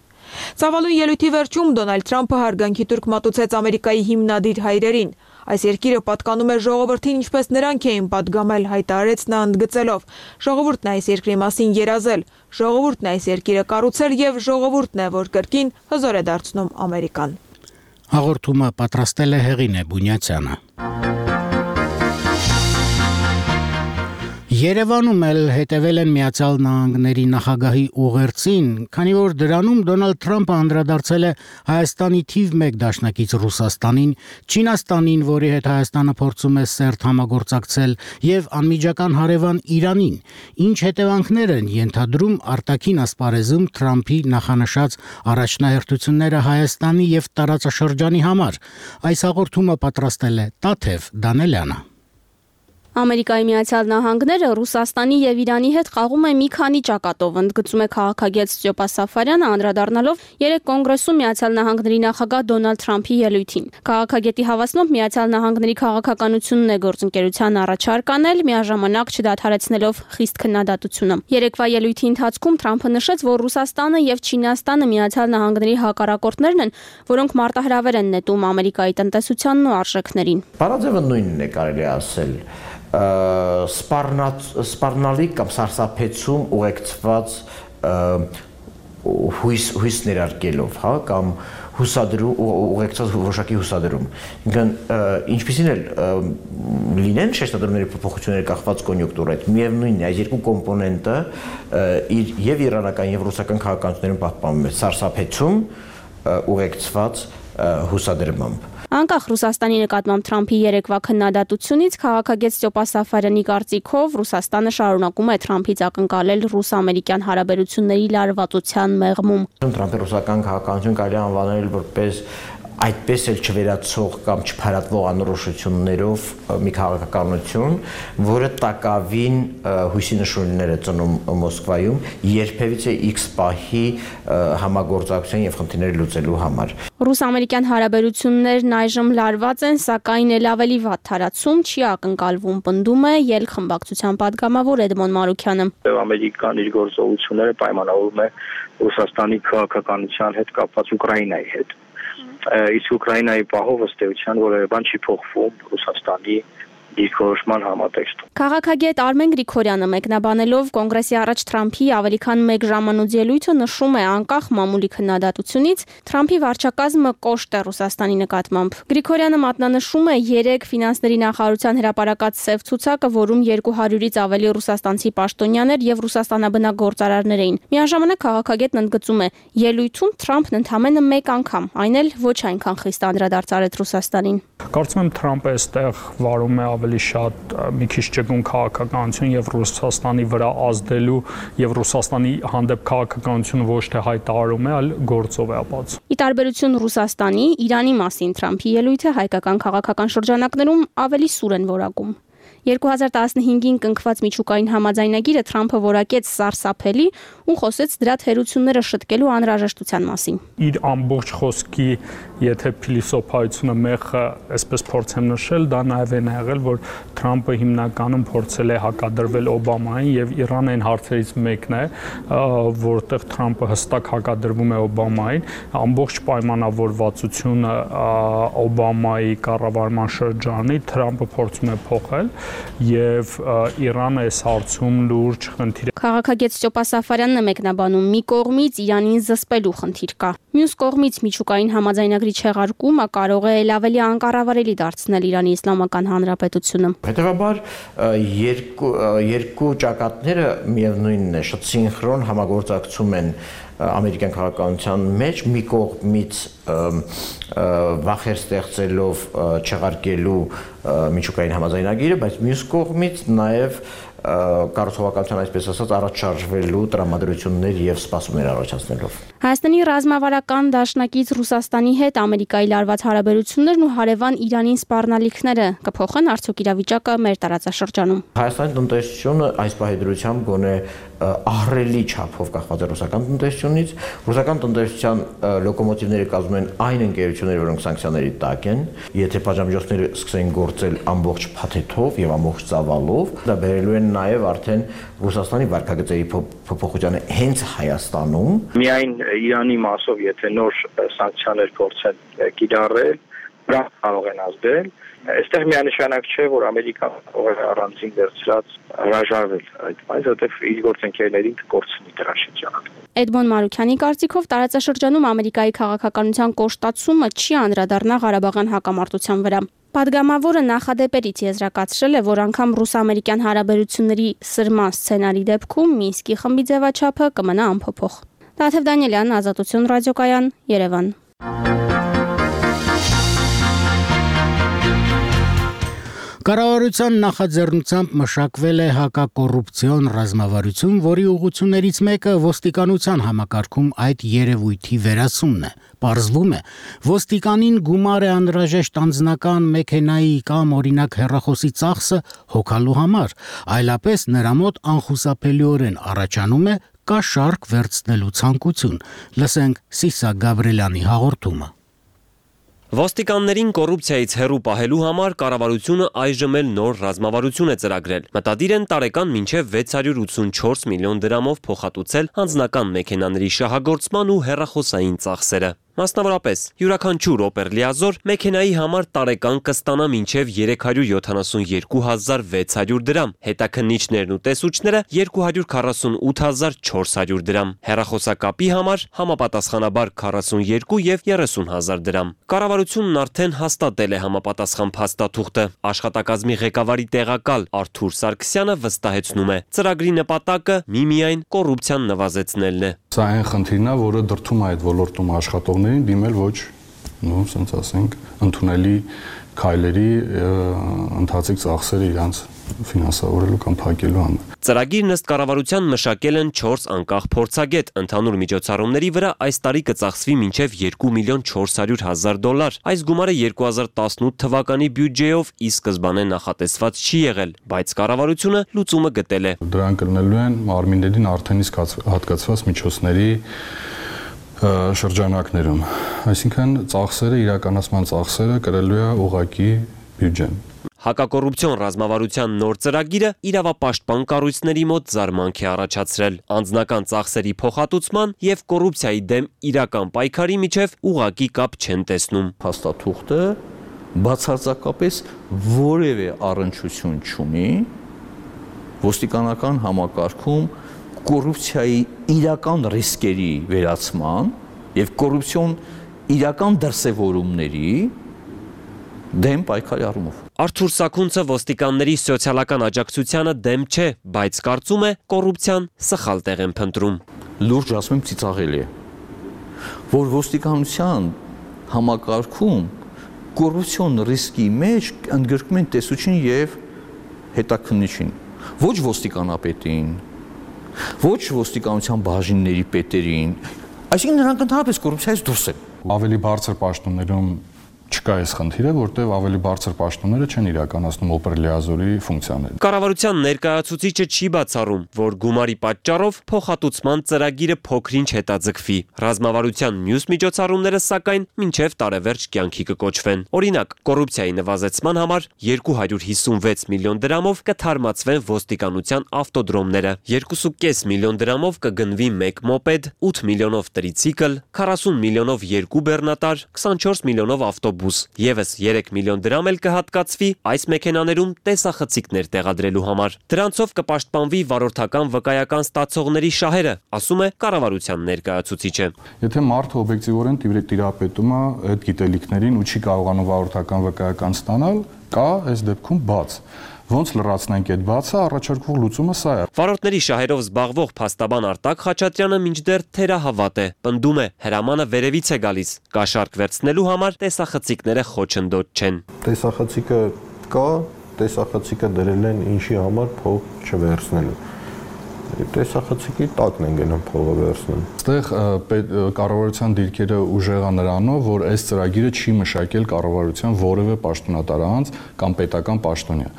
Ցավալուն ելույթի վերջում Դոնալդ Թրամփը հարգանքի տուրք մատուցեց Ամերիկայի հիմնադիր հայրերին։ Այս երկիրը պատկանում է ժողովրդին, ինչպես նրանք էին պատգամել, հայտարարեց նա ընդգծելով. Ժողովուրդն այս երկրի մասին երազել, ժողովուրդն այս երկիրը կառուցել եւ ժողովուրդն է, որ կրկին հզոր է դարձնում Ամերիկան։ Հաղորդումը պատրաստել է Հեղինե Բունյացյանը։ Երևանում էլ հետևել են Միացյալ Նահանգների նախագահի ուղերձին, քանի որ դրանում Դոնալդ Թրամփը անդրադարձել է Հայաստանի թիվ մեկ դաշնակից Ռուսաստանին, Չինաստանին, որի հետ Հայաստանը փորձում է սերտ համագործակցել, եւ անմիջական հարևան Իրանին, ինչ հետևանքներ են ենթադրում արտաքին ասպարեզում Թրամփի նախանշած առաջնահերթությունները Հայաստանի եւ տարածաշրջանի համար։ Այս հաղորդումը պատրաստել է Տաթև Դանելյանը։ Ամերիկայի Միացյալ Նահանգները Ռուսաստանի եւ Իրանի հետ խաղում է մի քանի ճակատով, ընդգծում է քաղաքագետ Ստյոպա Սաֆարյանը, անդրադառնալով երեք կոնգրեսում Միացյալ Նահանգների նախագահ Դոնալդ Թրամփի ելույթին։ Քաղաքագետի հավաստմամբ Միացյալ Նահանգների քաղաքականությունն է գործընկերության առաջարկ անել, միաժամանակ չդադարեցնելով խիստ քննադատությունը։ Երեկվա ելույթի ընթացքում Թրամփը նշեց, որ Ռուսաստանը եւ Չինաստանը Միացյալ Նահանգների հակառակորդներն են, որոնք մարտահրավեր են նետում Ամերիկայի տնտեսությանն ու արժեքներին։ Բառաձևը նույնն է, կարելի ասել, սպառնալիք կամ սարսափեցում ուղեկցված հույս հույս ներարկելով, հա, կամ հուսադրում ուղեկցված որոշակի հուսադրում։ Ինքն ինչպիսին էլ լինեն շեշտադրումների փոփոխությունների կախված կոնյունկտուրայից, միևնույնն է, այս երկու կոմպոնենտը իր եւ իրանական եւ ռուսական քաղաքականություններում պահպանվում է սարսափեցում ուղեկցված հուսադրմամբ։ Անկախ Ռուսաստանի նկատմամբ Թրամփի երեկվա քննադատությունից քաղաքագետ Ստյոպա Սաֆարյանի կարծիքով Ռուսաստանը շարունակում է Թրամփից ակնկալել ռուս-ամերիկյան հարաբերությունների լարվածության մեղմում։ Թրամփի ռուսական քաղաքականություն կարելի է անվանել որպես այդպես էլ չվերացող կամ չփարատվող անորոշություններով մի քաղաքականություն, որը տակավին հույսի նշույլներ է ծնում Մոսկվայում երբևիցե X պահի համագործակցության եւ խնդիրները լուծելու համար։ Ռուս-ամերիկյան հարաբերություններն այժմ լարված են, սակայն էլ ավելի վատ թարացում չի ակնկալվում, պնդում է ԵԼ խմբակցության падգամավոր Էդմոն Մարուքյանը։ Ամերիկան իր գործողությունները պայմանավորում է Ռուսաստանի քաղաքականության հետ կապված Ուկրաինայի հետ։ Իսկ Ուկրաինայի պահով ըստ էության որևէ բան չի փոխվում Ռուսաստանի դիրքորոշման համատեքստում։ Քաղաքագետ Արմեն Գրիգորյանը մեկնաբանելով կոնգրեսի առաջ Թրամփի ավելի քան մեկ ժամանոց ելույթը նշում է անկախ մամուլի քննադատությունից Թրամփի վարչակազմը կոշտ է Ռուսաստանի նկատմամբ։ Գրիգորյանը մատնանշում է երեք ֆինանսների նախարարության հրապարակած սև ցուցակը, որում երկու հարյուրից ավելի ռուսաստանցի պաշտոնյաներ եւ ռուսաստանաբնակ գործարարներ էին։ Միաժամանակ քաղաքագետն ընդգծում է, ելույթում Թրամփն ընդամենը մեկ անգամ, այն էլ ոչ այնքան խիստ անդրադարձ արեց Ռուսաստանին։ Կարծում եմ Թրամփը այստեղ վարում է ավելի շատ մի քիչ ճկուն քաղաքականություն եւ Ռուսաստանի վրա ազդելու եւ Ռուսաստանի հանդեպ քաղաքականությունը ոչ թե հայտարարում է, այլ գործով է ապացուցում։ Ի տարբերություն Ռուսաստանի, Իրանի մասին Թրամփի ելույթը հայկական քաղաքական շրջանակներում ավելի սուր են որակում։ երկու հազար տասնհինգին կնքված միջուկային համաձայնագիրը Թրամփը որակեց սարսափելի ու խոսեց դրա թերությունները շտկելու անհրաժեշտության մասին։ Իր ամբողջ խոսքի, եթե փիլիսոփայությունը մեղը, այսպես փորձեմ նշել, դա նաև են եղել, որ Թրամփը հիմնականում փորձել է հակադրվել Օբամային եւ Իրանը այն հարցերից մեկն է, որտեղ Թրամփը հստակ հակադրվում է Օբամային, ամբողջ պայմանավորվածությունը Օբամայի կառավարման շրջանի Թրամփը փորձում է փոխել եւ Իրանը այս հարցում լուրջ խնդիր է։ Քաղաքագետ Ստյոպա Սաֆարյանն է մեկնաբանում, մի կողմից Իրանին զսպելու խնդիր կա, մյուս կողմից միջուկային համաձայնագրի չեղարկումը կարող է ել ավելի անկառավարելի դարձնել Իրանի Իսլամական Հանրապետությունը։ Հետևաբար երկու երկու ճակատները միևնույնն է, շատ սինխրոն համագործակցում են ամերիկյան քաղաքականության մեջ, մի կողմից վախեր ստեղծելով չեղարկելու միջուկային համաձայնագիրը, բայց մյուս կողմից նաև կառուցողականության այսպես ասած առաջ շարժվելու տրամադրություններ եւ սպասումներ առաջացնելով։ Հայաստանի ռազմավարական դաշնակից Ռուսաստանի հետ Ամերիկայի լարված հարաբերություններն ու հարևան Իրանին սպառնալիքները կփոխեն արդյոք իրավիճակը մեր տարածաշրջանում։ Հայաստանի տնտեսությունը այս պահեդրությամբ գոնե ահռելի չափով կախված է ռուսական տնտեսությունից։ Ռուսական տնտեսության լոկոմոտիվները կազմում են այն ընկերությունները, որոնք սանկցիաների տակ են։ Եթե պատժամիջոցները սկսեն գործել ամբողջ փաթեթով եւ ամբողջ ծավալով, դա բերելու են նաև արդեն Ռուսաստանի վարկագծերի փոփոխությանը հենց Հայաստանում։ Միայն Իրանի մասով, եթե նոր սանկցիաներ փորձեն կիրառել, դրանք կարող են ազդել։ Այստեղ միանշանակ չէ, որ Ամերիկան կարող է առանձին վերցրած հրաժարվել այդ բանից, որտեղ իր գործընկերներին կկորցնի դրա շրջանում։ Էդմոն Մարուքյանի կարծիքով տարածաշրջանում Ամերիկայի քաղաքականության կոշտացումը չի անդրադառնա Ղարաբաղյան հակամարտության վրա։ Պատգամավորը նախադեպերից եզրակացրել է, որ անգամ ռուս-ամերիկյան հարաբերությունների սրման սցենարի դեպքում Մինսկի խմբի ձևաչափը կմնա անփոփոխ։ Տաթև Դանիելյան, Ազատություն ռադիոկայան, Երևան։ Կառավարության նախաձեռնությամբ մշակվել է հակակոռուպցիոն ռազմավարություն, որի ուղղություններից մեկը ոստիկանության համակարգում այդ երևույթի վերացումն է։ Պարզվում է, ոստիկանին գումար է անհրաժեշտ անձնական մեքենայի կամ օրինակ հեռախոսի ծախսը հոգալու համար, այլապես նրա մոտ անխուսափելիորեն առաջանում է կաշառք վերցնելու ցանկություն։ Լսենք Սիսակ Գաբրելյանի հաղորդումը։ Ոստիկաններին կոռուպցիայից հեռու պահելու համար կառավարությունը այժմ էլ նոր ռազմավարություն է ծրագրել։ Մտադիր են տարեկան մինչև վեց հարյուր ութսունչորս միլիոն դրամով փոխհատուցել անձնական մեքենաների շահագործման ու հեռախոսային ծախսերը։ Մասնավորապես, յուրաքանչյուր Opel լիազոր մեքենայի համար տարեկան կստանա մինչև երեք հարյուր յոթանասունյոթ հազար վեց հարյուր դրամ, հետաքննիչներն ու տեսուչները երկու հարյուր քառասունութ հազար չորս հարյուր դրամ, հեռախոսակապի համար համապատասխանաբար քառասունյոթ եւ երեսուն հազար դրամ։ Կառավարությունն արդեն հաստատել է համապատասխան փաստաթուղթը։ Աշխատակազմի ղեկավարի տեղակալ Արթուր Սարգսյանը վստահեցնում է, ծրագրի նպատակը միմիայն կոռուպցիան նվազեցնելն է։ Սա այն խնդիրն է, որը դրդում է այդ ոլորտում աշխատողներին դիմել ոչ, նո, ասենք ասենք, ընդունելի քայլերի ընթացիկ ծախսերը իրանց ֆինանսավորելու կամ փակելու համար։ Ծրագիրն ըստ կառավարության մշակել են չորս անկախ փորձագետ, ընդհանուր միջոցառումների վրա այս տարի կծախսվի մինչև երկու միլիոն չորս հարյուր հազար դոլար։ Այս գումարը երկու հազար տասնութ թվականի բյուջեով ի սկզբանե նախատեսված չի եղել, բայց կառավարությունը լուծումը գտել է։ Դրանք կլինելու են մարմիններին արդեն իսկ հատկացված միջոցների շրջանակներում, այսինքն ծախսերը, իրականացման ծախսերը կրելու է ուղղակի բյուջեն։ Հակակոռուպցիոն ռազմավարության նոր ծրագիրը իրավապաշտպան կառույցների մոտ զարմանք է առաջացրել։ Անձնական ծախսերի փոխհատուցման եւ կոռուպցիայի դեմ իրական պայքարի միջև ուղղակի կապ չեն տեսնում։ Փաստաթուղթը բացարձակապես որևէ առնչություն չունի ոստիկանական համակարգում կոռուպցիայի իրական ռիսկերի վերացման եւ կոռուպցիոն իրական դրսևորումների դեմ պայքարի առումով։ Արթուր Սաքունցը ոստիկանների սոցիալական աջակցությանը դեմ չէ, բայց կարծում է կոռուպցիան սխալ տեղ են փնտրում։ Լուրջ ասում եմ, ծիծաղելի է, որ ոստիկանության համակարգում կոռուպցիոն ռիսկի մեջ ընդգրկում են տեսուչին եւ հետաքննիչին, ոչ ոստիկանապետին, ոչ ոստիկանության բաժինների պետերին, այսինքն նրանք ընդհանրապես կոռուպցիայից դուրս են։ Ավելի բարձր պաշտոններում չկա այս խնդիրը, որտեղ ավելի բարձր պաշտոնները չեն իրականացնում Opel լիազորի ֆունկցիաները։ Կառավարության ներկայացուցիչը չի բացառում, որ գումարի պատճառով փոխհատուցման ծրագիրը փոքրինչ հետաձգվի։ Ռազմավարության մյուս միջոցառումները սակայն մինչև տարեվերջ կյանքի կկոչվեն։ Օրինակ, կոռուպցիայի նվազեցման համար երկու հարյուր հիսունվեց միլիոն դրամով կթարմացվեն ոստիկանության ավտոդրոմները, երկու կόμμα պենս միլիոն դրամով կգնվի մեկ մոպեդ, ութ միլիոնով տրիցիկլ, քառասուն միլիոնով երկու բեռնատար, քսանչորս միլիոնով ավտոբուս, եւս երեք միլիոն դրամ էլ կհատկացվի այս մեքենաներում տեսախցիկներ տեղադրելու համար։ Դրանցով կպաշտպանվի վարորդական վկայական ստացողների շահերը, ասում է կառավարության ներկայացուցիչը։ Եթե մարդը օբյեկտիվորեն տիրապետում է այդ գիտելիքներին ու չի կարողանում վարորդական վկայական ստանալ, կա այս դեպքում բաց։ Ոնց լրացնենք այդ բացը, առաջարկվող լուծումը սա է։ Վարորդների շահերով զբաղվող փաստաբան Արտակ Խաչատրյանը մինչդեռ թերահավատ է, պնդում է, հրամանը վերևից է գալիս։ Կաշառք վերցնելու համար տեսախցիկները խոչընդոտ չեն։ Տեսախցիկը կա, տեսախցիկը դրել են ինչի համար փող չվերցնելու։ Տեսախցիկի տակն են գնում փողը վերցնել։ Այստեղ կառավարության դիրքերը ուժեղա նրանով, որ այս ծրագիրը չի մշակել կառավարության որևէ պաշտոնատար անձ կամ պետական պաշտոնյա,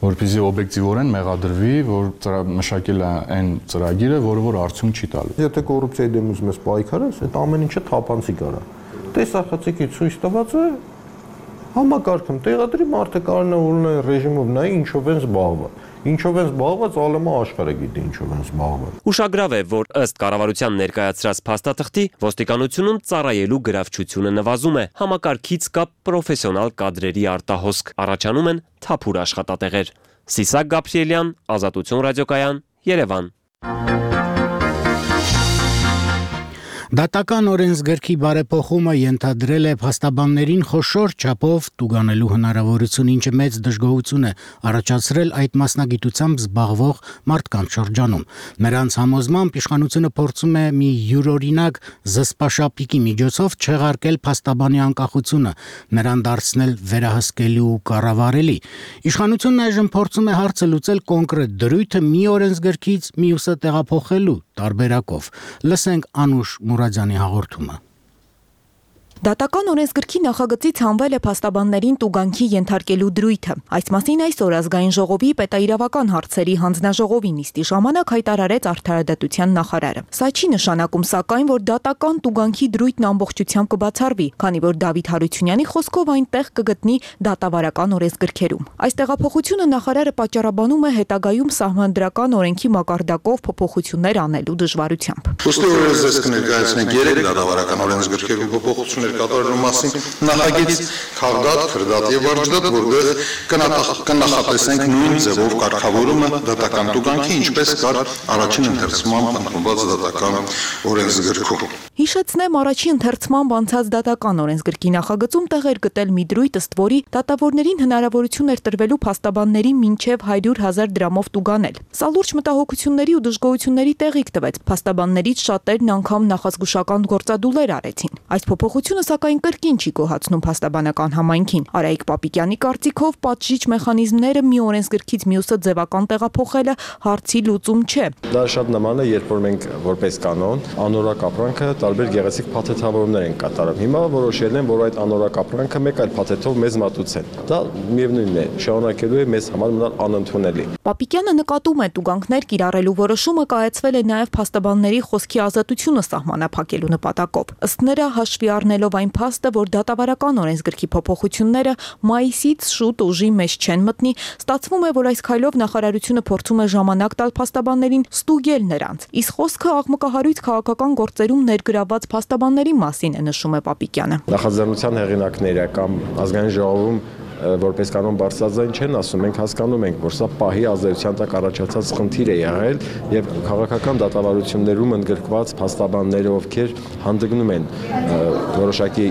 որպեսզի օբյեկտիվորեն մեղադրվի, որ մշակել է այն ծրագիրը, որը որ արդյունք չի տալու։ Եթե կոռուպցիայի դեմ ուզում ես պայքարես, այդ ամեն ինչը թափանցիկ արա։ Տեսախցիկի ցույց տված է համակարգում տեղադրի, մարդը կարող է ունենալ ռեժիմով նայ ինչով են զբաղված։ Ինչով են զբաղված, ալեմա աշխարհը գիտի ինչով են զբաղված։ Ուշագրավ է, որ ըստ կառավարության ներկայացրած փաստաթղթի ոստիկանությունում ծառայելու գրավչությունը նվազում է, համակարգից կա պրոֆեսիոնալ կադրերի արտահոսք, առաջանում են թափուր աշխատատեղեր։ Սիսակ Գաբրիելյան, Ազատություն ռադիոկայան, Երևան։ Դատական օրենսգրքի բարեփոխումը ենթադրել է փաստաբաններին խոշոր չափով տուգանելու հնարավորություն, ինչը մեծ դժգոհություն է առաջացրել այդ մասնագիտությամբ զբաղվող մարդկանց շրջանում։ Նրանց համոզմամբ իշխանությունը փորձում է մի յուրօրինակ զսպաշապիկի միջոցով չեղարկել փաստաբանի անկախությունը, նրան դարձնել վերահսկելի ու կառավարելի։ Իշխանությունն այժմ փորձում է հարցը լուծել կոնկրետ դրույթը մի օրենսգրքից մյուսը տեղափոխելու տարբերակով։ Լսենք Անուշ Մուրադյանի հաղորդումը։ Դատական օրենսգրքի նախագծից հանվել է փաստաբաններին տուգանքի ենթարկելու դրույթը։ Այս մասին այսօր ազգային ժողովի պետաիրավական հարցերի հանձնաժողովի նիստի ժամանակ հայտարարեց Արդարադատության նախարարը։ Սա չի նշանակում սակայն, որ դատական տուգանքի դրույթն ամբողջությամբ կբացառվի, քանի որ Դավիթ Հարությունյանի խոսքով այնտեղ կգտնի դատավարական օրենսգրքերում։ Այս տեղափոխությունը նախարարը պատճառաբանում է հետագայում սահմանադրական օրենքի մակարդակով փոփոխություններ անելու դժվարությամբ։ Ոստի օրենսգրք կներկայացնենք երեք դատավարական օրենսգրքերում փոփոխություններ կատարելու մասին նախագիծ քաղդատ, քրդատ եւ վարժդատ, որտեղ կնախատեսենք նույն ձևով կարգավորումը դատական տուգանքի, ինչպես կար առաջին ընթերցմամբ ընդունված դատական օրենսգրքում։ Հիշեցնեմ, առաջին ընթերցմամբ անցած դատական օրենսգրքի նախագծում տեղ էր գտել մի դրույթ, ըստ որի դատավորներին հնարավորություն էր տրվելու փաստաբանների մինչև հարյուր հազար դրամով տուգանել։ Սա լուրջ մտահոգությունների ու դժգոհությունների տեղիք տվեց։ Փաստաբաններից շատերն անգամ նախազգուշական գործադուլեր արեցին։ Այս փոփոխությունը սակայն կրկին չի գոհացնում փաստաբանական համայնքին։ Արայիկ Պապիկյանի կարծիքով պատժիչ մեխանիզմները մի օրենսգրքից մյուսը ձևական տեղափոխելը հարցի լուծում չէ։ Դա շատ նման է, երբ որ մենք որպես կանոն անորակ ապրանքը տարբեր գեղեցիկ փաթեթավորումներ են կատարում։ Հիմա որոշել են, որ այդ անորակ ապրանքը մեկ այլ փաթեթով մեզ մատուցեն։ Դա միևնույնն է, շարունակելու է մեզ համար մնալ անընդունելի։ Պապիկյանը նկատում է տուգանքներ կիրառելու որոշումը կայացվել է նաև փաստաբանների խոսքի ազատությունը սահմանափակելու նպատակով։ Ըստ նրա, հաշվի առնելով այն փաստը, որ դատավարական օրենսգրքի փոփոխությունները մայիսից շուտ ուժի մեջ չեն մտնի, ստացվում է, որ այս քայլով նախարարությունը փորձում է ժամանակ տալ փաստաբաններին ստուգել նրանց։ Իսկ խոսքը աղմկահարույց քաղաքական գործերում ներգրավված փաստաբանների մասին է, նշում է Պապիկյանը։ Նախաձեռնության հեղինակները կամ ազգային ժողովում որպես կանոն բարձրաձայն չեն ասում, մենք հասկանում ենք, որ սա պահի ազդեցության տակ առաջացած խնդիր է եղել եւ քաղաքական դատավարություններում ընդգրկված փաստաբանները, ովքեր հանդգնում են որոշակի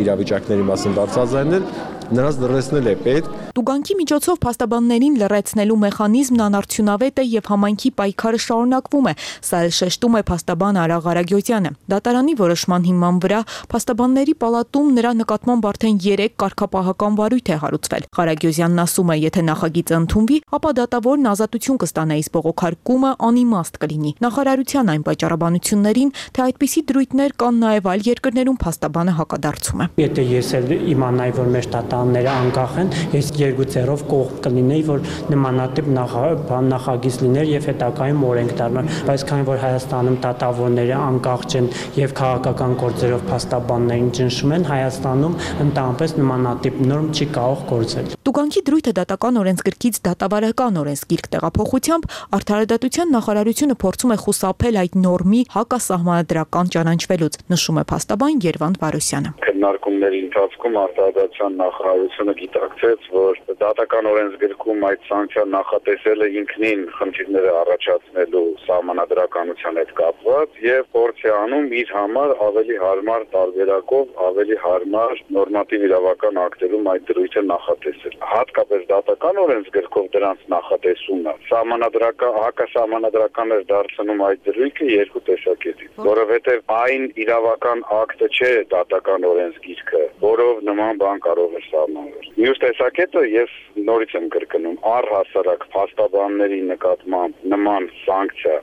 իրավիճակների մասին բարձրաձայնել, նրանց լրացնել է պետք։ Տուգանքի միջոցով փաստաբաններին լրացնելու մեխանիզմն անարդյունավետ է եւ համայնքի պայքարը շարունակվում է, սա էլ շեշտում է փաստաբան Արա Ղարագյոզյանը։ Դատարանի որոշման հիման վրա փաստաբանների պալատում նրա նկատմամբ արդեն երեք կարգապահական վարույթ է հարուցվել։ Ղարագյոզյանն ասում է, եթե նախագիծը ընդունվի, ապա դատավորն ազատություն կստանա, իսկ բողոքարկումը անիմաստ կլինի։ Նախարարության այն պայճառաբանություններին, թե այդպիսի դրույթներ կան նաեւ այլ երկրներում, փաստաբանը հակադարձում է։ Եթե ես էլ իմանայի, որ մեր ները անկախ են, ես երկուցերով կողմ կլինեի, որ նմանատիպ նախագիծ լիներ եւ հետագայում օրենք դառնար, բայց քանի որ Հայաստանում դատավորները անկախ չեն եւ քաղաքական գործերով փաստաբաններին ճնշում են, Հայաստանում ընդհանրապես նմանատիպ նորմ չի կարող գործել։ Տուգանքի դրույթը դատական օրենսգրքից դատավարական օրենսգիրք տեղափոխությամբ Արդարադատության նախարարությունը փորձում է խուսափել այդ նորմի հակասահմանադրական ճանաչվելուց, նշում է փաստաբան Երվանդ Վարոսյանը։ Քննարկումների ընթացքում Արտադրության նախարարությունը գիտակցեց, որ դատական օրենսգրքում այդ սանկցիան նախատեսել է ինքնին խնդիրները առաջացնելու սահմանադրականության հետ կապված եւ փորձ է անում իր համար ավելի հարմար տարբերակով, ավելի հարմար նորմատիվ իրավական ակտերում այդ դրույթը նախատեսել։ Հատկապես դատական օրենսգրքով դրանց նախատեսումը սահմանադրական հակասահմանադրական է դարձնում այդ դրույթը երկու տեսակետից, որովհետեւ այն իրավական ակտը չէ դատական օրենսգիրքը, որով նման բան կարող է սահմանվել։ Մյուս տեսակետը ես նորից եմ կրկնում, առհասարակ փաստաբանների նկատմամբ նման սանկցիա,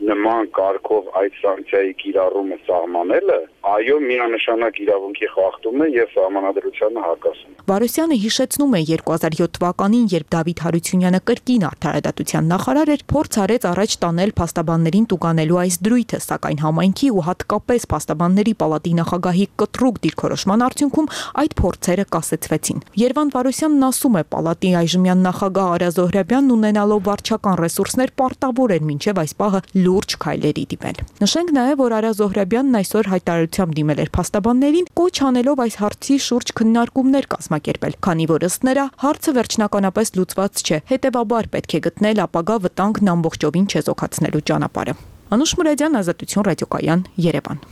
նման կարգով այդ սանկցիայի կիրառումը սահմանելը, այո, միանշանակ իրավունքի խախտում է եւ սահմանադրությանը հակասում։ Վարոսյանը հիշեցնում է երկու հազար յոթ թվականին, երբ Դավիթ Հարությունյանը կրկին Արդարադատության նախարար էր, փորձ արեց առաջ տանել փաստաբաններին տուգանելու այս դրույթը, սակայն համայնքի ու հատկապես փաստաբանների պալատի նախագահի կտրուկ դիրքորոշման արդյունքում այդ փորձերը կասեցվեցին։ Երվանդ Վարոսյանն ասում է, պալատի այժմյան նախագահ Արա Զոհրաբյանն ունենալով վարչական ռեսուրսներ պարտավոր էր մինչև այս պահը լուրջ քայլերի դիմել։ Նշենք նաև, որ Արա Զոհրաբյանն այսօր հայտարարությամբ դիմել էր փաստաբաններին, կոչ անելով այս հարցի շուրջ քննարկումներ կազմակերպել, քանի որ ըստ նրա հարցը վերջնականապես լուծված չէ, հետևաբար պետք է գտնել ապագա վտանգն ամբողջովին չեզոքացնելու ճանապարհը։ Անուշ Մուրադյան, Ազատություն ռադիոկայան, Երևան։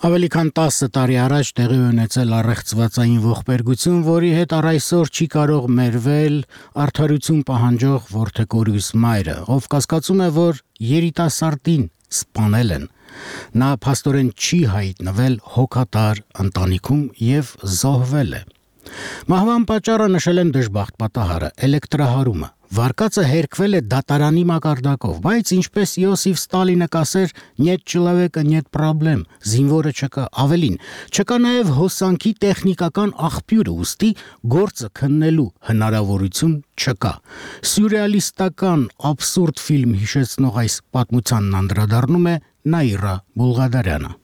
Ավելի քան տասը տարի առաջ տեղի ունեցել առեղծվածային ողբերգություն, որի հետ առ այսօր չի կարող մերվել արդարություն պահանջող որդեկորյուս մայրը, ով կասկածում է, որ երիտասարդին սպանել են։ Նա փաստորեն չի հայտնվել հոգատար ընտանիքում եւ զոհվել է։ Մահվան պատճառը նշել են դժբախտ պատահարը՝ էլեկտրահարումը, Վարկածը հերկվել է դատարանի մակարդակով, բայց ինչպես Իոսիֆ Ստալինը կասեր, «Нет человека, нет проблем», զինվորը չկա, ավելին, չկա նաև հոսանքի տեխնիկական աղբյուրը, ուստի գործը քննելու հնարավորություն չկա։ Սյուրռեալիստական абսուրդ ֆիլմ հիշեցնող այս պատմությանն անդրադառնում է Նաիրա Բուլղադարյանը։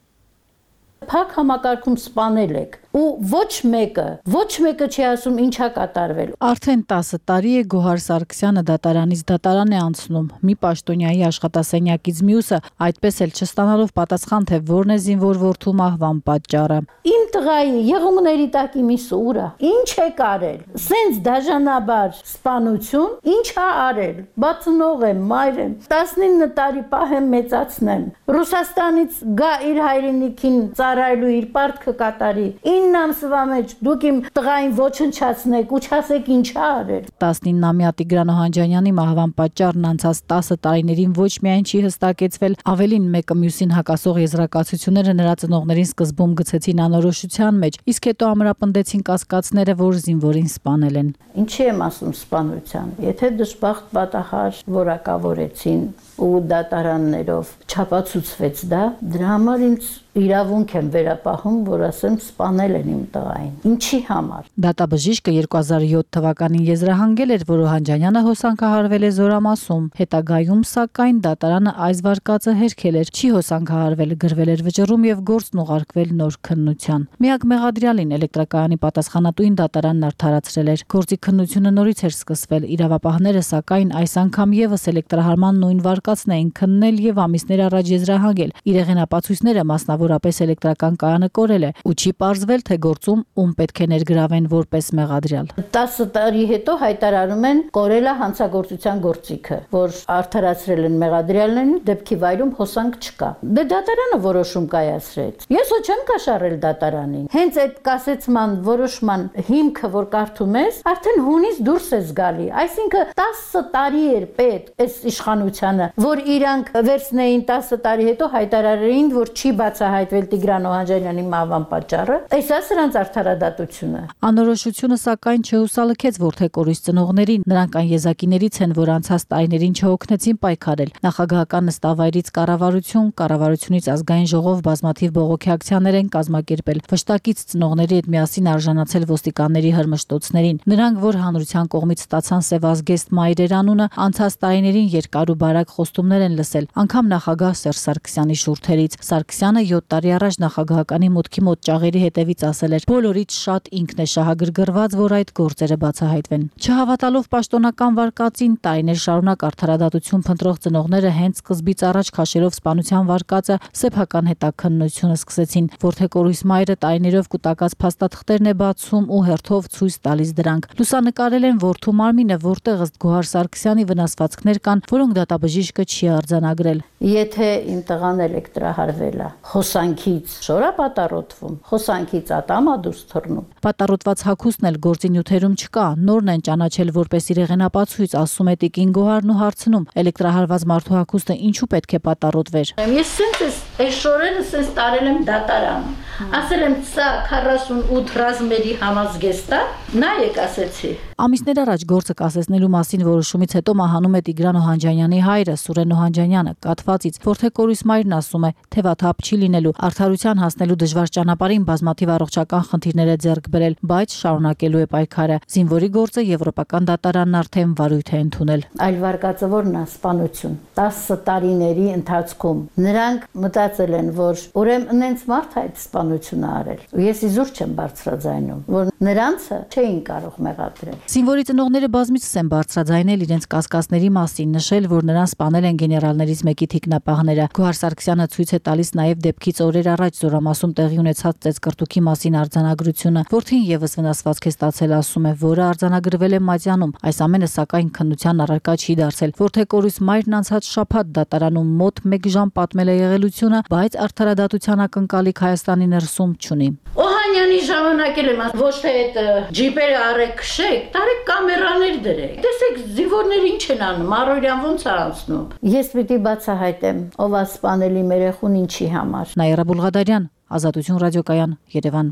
Փակ համակարգում սպանել եք ու ոչ մեկը, ոչ մեկը չի ասում ինչա կատարվել։ Արդեն տասը տարի է Գոհար Սարգսյանը դատարանից դատարան է անցնում։ Մի պաշտոնյայի աշխատասենյակից մյուսը այդպես էլ չստանալով պատասխան, թե որն է զինվոր որդու մահվան պատճառը։ Իմ տղայի եղունգների տակի մի սուրա, ինչ է կարել։ Սենց դաժանաբար սպանություն, ինչ է արել։ Բացնող եմ, մայր եմ, տասնինը տարի պահեմ մեծացնեմ։ Ռուսաստանից գա իր հայրենիքին ծառայելու իր պարտքը կատարի։ ինը ամսվա մեջ դուք իմ տղային ոչնչացնեք ու չասեք ինչ է արել։ տասնինամյա Տիգրան Օհանջանյանի մահվան պատճառն անցած տասը տարիներին ոչ միայն չի հստակեցվել, ավելին մեկը մյուսին հակասող եզրակացությունները նրա ծնողներին սկզբում գցեցին անորոշության մեջ, իսկ հետո ամրապնդեցին կասկածները, որ զինվորին սպանել են։ Ինչի եմ ասում սպանության, եթե դժբախտ պատահար որակավորեցին ու դատարաններով չապացուցվեց դա, դրա համար ինձ իրավունք եմ վերապահում, որ ասեմ սպանել են իմ տղային։ Ինչի համար։ Դատաբժիշկը երկու հազար յոթ թվականին եզրահանգել էր, որ Օհանջանյանը հոսանքահարվել է Զորամասում։ Հետագայում, սակայն, դատարանը այս վարկածը հերքել էր, չի հոսանքահարվել, գրվել էր վճռում եւ գործն ուղարկվել նոր քննության։ Միակ մեղադրյալին էլեկտրակայանի պատասխանատուին դատարանն արդարացրել էր։ Գործի քննությունը նորից էր սկսվել։ Իրավապահները, սակայն, այս անգամ եւս էլեկտրահարման նույն վարկածն էին քննել եւ ամիսներ առաջ եզրահանգել։ Իրեղենապացույցները մասնավորապես էլեկտրական կայանը կորել է ու չի պարզվել, թե գործում ում պետք է ներգրավեն որպես մեղադրյալ։ տասը տարի հետո հայտարարում են կորել է հանցագործության գործիքը, որ արդարացրել են մեղադրյալներին, դեպքի վայրում հոսանք չկա։ Դե դատարանը որոշում կայացրեց։ Ես ոչ չեմ կաշառել դատարանին։ Հենց այդ կասեցման որոշման հիմքը, որ կարդում ես, արդեն հունից դուրս է զգալի։ Այսինքն տասը տարի էր պետք այս իշխանությանը, որ իրանք վերցնեին տասը տարի հետո հայտարարեին, որ չի բացահայտվել Տիգրան Օհանջանյանի մահվան պատճառը, այս է սրանց արդարադատությունը։ Անորոշությունը սակայն չհուսալքեց որդեկորույս ծնողներին, նրանք այն եզակիներից են, որ անցած տարիներին չհոգնեցին պայքարել։ Նախագահական նստավայրից կառավարություն, կառավարությունից ազգային ժողով բազմաթիվ բողոքի ակցիաներ են կազմակերպել։ Վշտակից ծնողների հետ միասին արժանացել ոստիկանների հրմշտոցներին։ Նրանք, որ հանրության կողմից ստացան Սևազգեստ մայրեր անունը, անցած տարիներին երկար ու բարակ խոստումներ են լսել, անգամ նախագահ Սերժ Սարգսյանի շուրթերից։ Սարգսյանը յոթ տարի առաջ նախագահականի մուտքի մոտ ճաղերի հետևից ասել էր. «Բոլորից շատ ինքն է շահագրգռված, որ այդ գործերը բացահայտվեն»։ Չհավատալով պաշտոնական վարկածին, տարիներ շարունակ արդարադատություն փնտրող ծնողները հենց սկզբից առաջ քաշելով սպանության վարկածը սեփական հետաքննությունը սկսեցին։ Որդեկորույս մայրը տարիներով կուտակած փաստաթղթերն է բացում ու հերթով ցույց տալիս դրանք։ Լուսանկարել են որդու մարմինը, որտեղ ըստ Գոհար Սարգսյանի վնասվածքներ կան, որոնք դատաբժիշկը չի արձանագրել։ Եթե իմ տղան էլեկտրահարվել է, հոսանքից շորա պատառոտվում, հոսանքից ատամա դուրս թռնում։ Պատառոտված հագուստն էլ գործի նյութերում չկա, նորն են ճանաչել որպես իրեղենապացույց, ասում է Տիկին Գոհարն ու հարցնում. էլեկտրահարված մարդու հագուստը ինչու պետք է պատառոտվեր։ Ես սենց այս շորերը սենց տարել եմ դատարան։ Ասել եմ սա քառասունութ ռազմերի համազգեստ է, նայեք ասեցի։ Ամիսներ առաջ գործը կասեցնելու մասին որոշումից հետո մահանում է Տիգրան Օհանջանյանի հայրը Սուրեն Օհանջանյանը, կաթվածից։ Որդեկորույս մայրն ասում է, թևաթափ չի լինելու, արդարության հասնելու դժվար ճանապարհին բազմաթիվ առողջական խնդիրներ է ձեռք բերել, բայց շարունակելու է պայքարը։ Զինվորի գործը եվրոպական դատարանն արդեն վարույթ է ընդունել։ Այլ վարկածը որն է սպանություն։ տասը տարիների ընթացքում նրանք մտածել են, որ ուրեմն նենց մարդ այդ սպանությունը արել։ Ու ես իզուր չեմ բարձրաձայնում, որ նրանցը չէին կարող մեղադրել։ Զինվորի ծնողները բազմիցս են բարձրաձայնել իրենց կասկածների մասին, նշել, որ նրան սպանել են գեներալներից մեկի թիկնապահները։ Գոհար Սարգսյանը ցույց է տալիս նաև դեպքից օրեր առաջ Զորամասում տեղի ունեցած ծեծկռտուքի մասին արձանագրությունը, որթին եւս վնասվածք է ստացել, ասում է, որը արձանագրվել է Մատյանում։ Այս ամենը սակայն քննության առարկա չի դարձել։ Որդեկորույս մայրն անցած շաբաթ դատարանում մոտ մեկ ժամ պատմել է եղելությունը, բայց արդարադատության ակնկալիք Հայաստանի ներսում չունի։ Օհանյանի ժամանակել եմ, ոչ թե այդ ջիպերը առեք քշեք, տարեք կամերաներ դրեք։ Տեսեք զինվորները ինչ են անում, առօրյան ոնց է անցնում։ Ես պիտի բացահայտեմ, ով է սպանել իմ երեխուն ինչի համար։ Նաիրա Բուլղադարյան, Ազատություն ռադիոկայան, Երևան։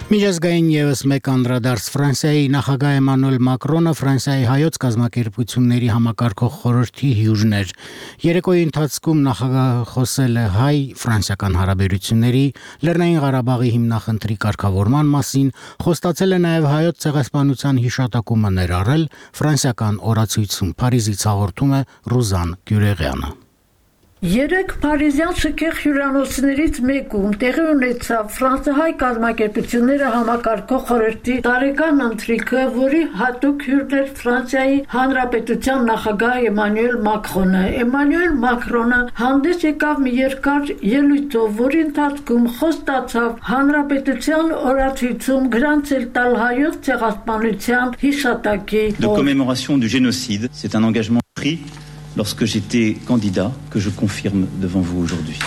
Միջազգային ևս մեկ անդրադարձ Ֆրանսիայի նախագահ Էմանուել Մակրոնը Ֆրանսիայի հայոց կազմակերպությունների համակարգող խորհրդի հյուժն էր։ Երեկոյի ընթացքում նախագահը խոսել է հայ-ֆրանսիական հարաբերությունների, Լեռնային Ղարաբաղի հիմնախնդրի կարգավորման մասին, խոստացել է նաև հայոց ցեղասպանության հիշատակումը ներառել ֆրանսիական օրացույցում։ Փարիզից հաղորդում է Ռուզան Գյուրեղյանը։ Երեք Փարիզյան շքեղ հյուրանոցներից մեկում տեղի ունեցավ ֆրանսահայ կազմակերպությունները համակարգող խորհրդի տարեկան ընթրիքը, որի հատուկ հյուրն էր Ֆրանսիայի Հանրապետության նախագահ Էմանուել Մակրոնը։ Էմանուել Մակրոնը հանդես եկավ մի երկար ելույթով, որի ընթացքում խոստացավ Հանրապետության օրացույցում գրանցել տալ հայոց ցեղասպանության հիշատակի de commémoration du génocide. C'est un engagement pris lorsque j'étais candidat, que je confirme devant vous aujourd'hui.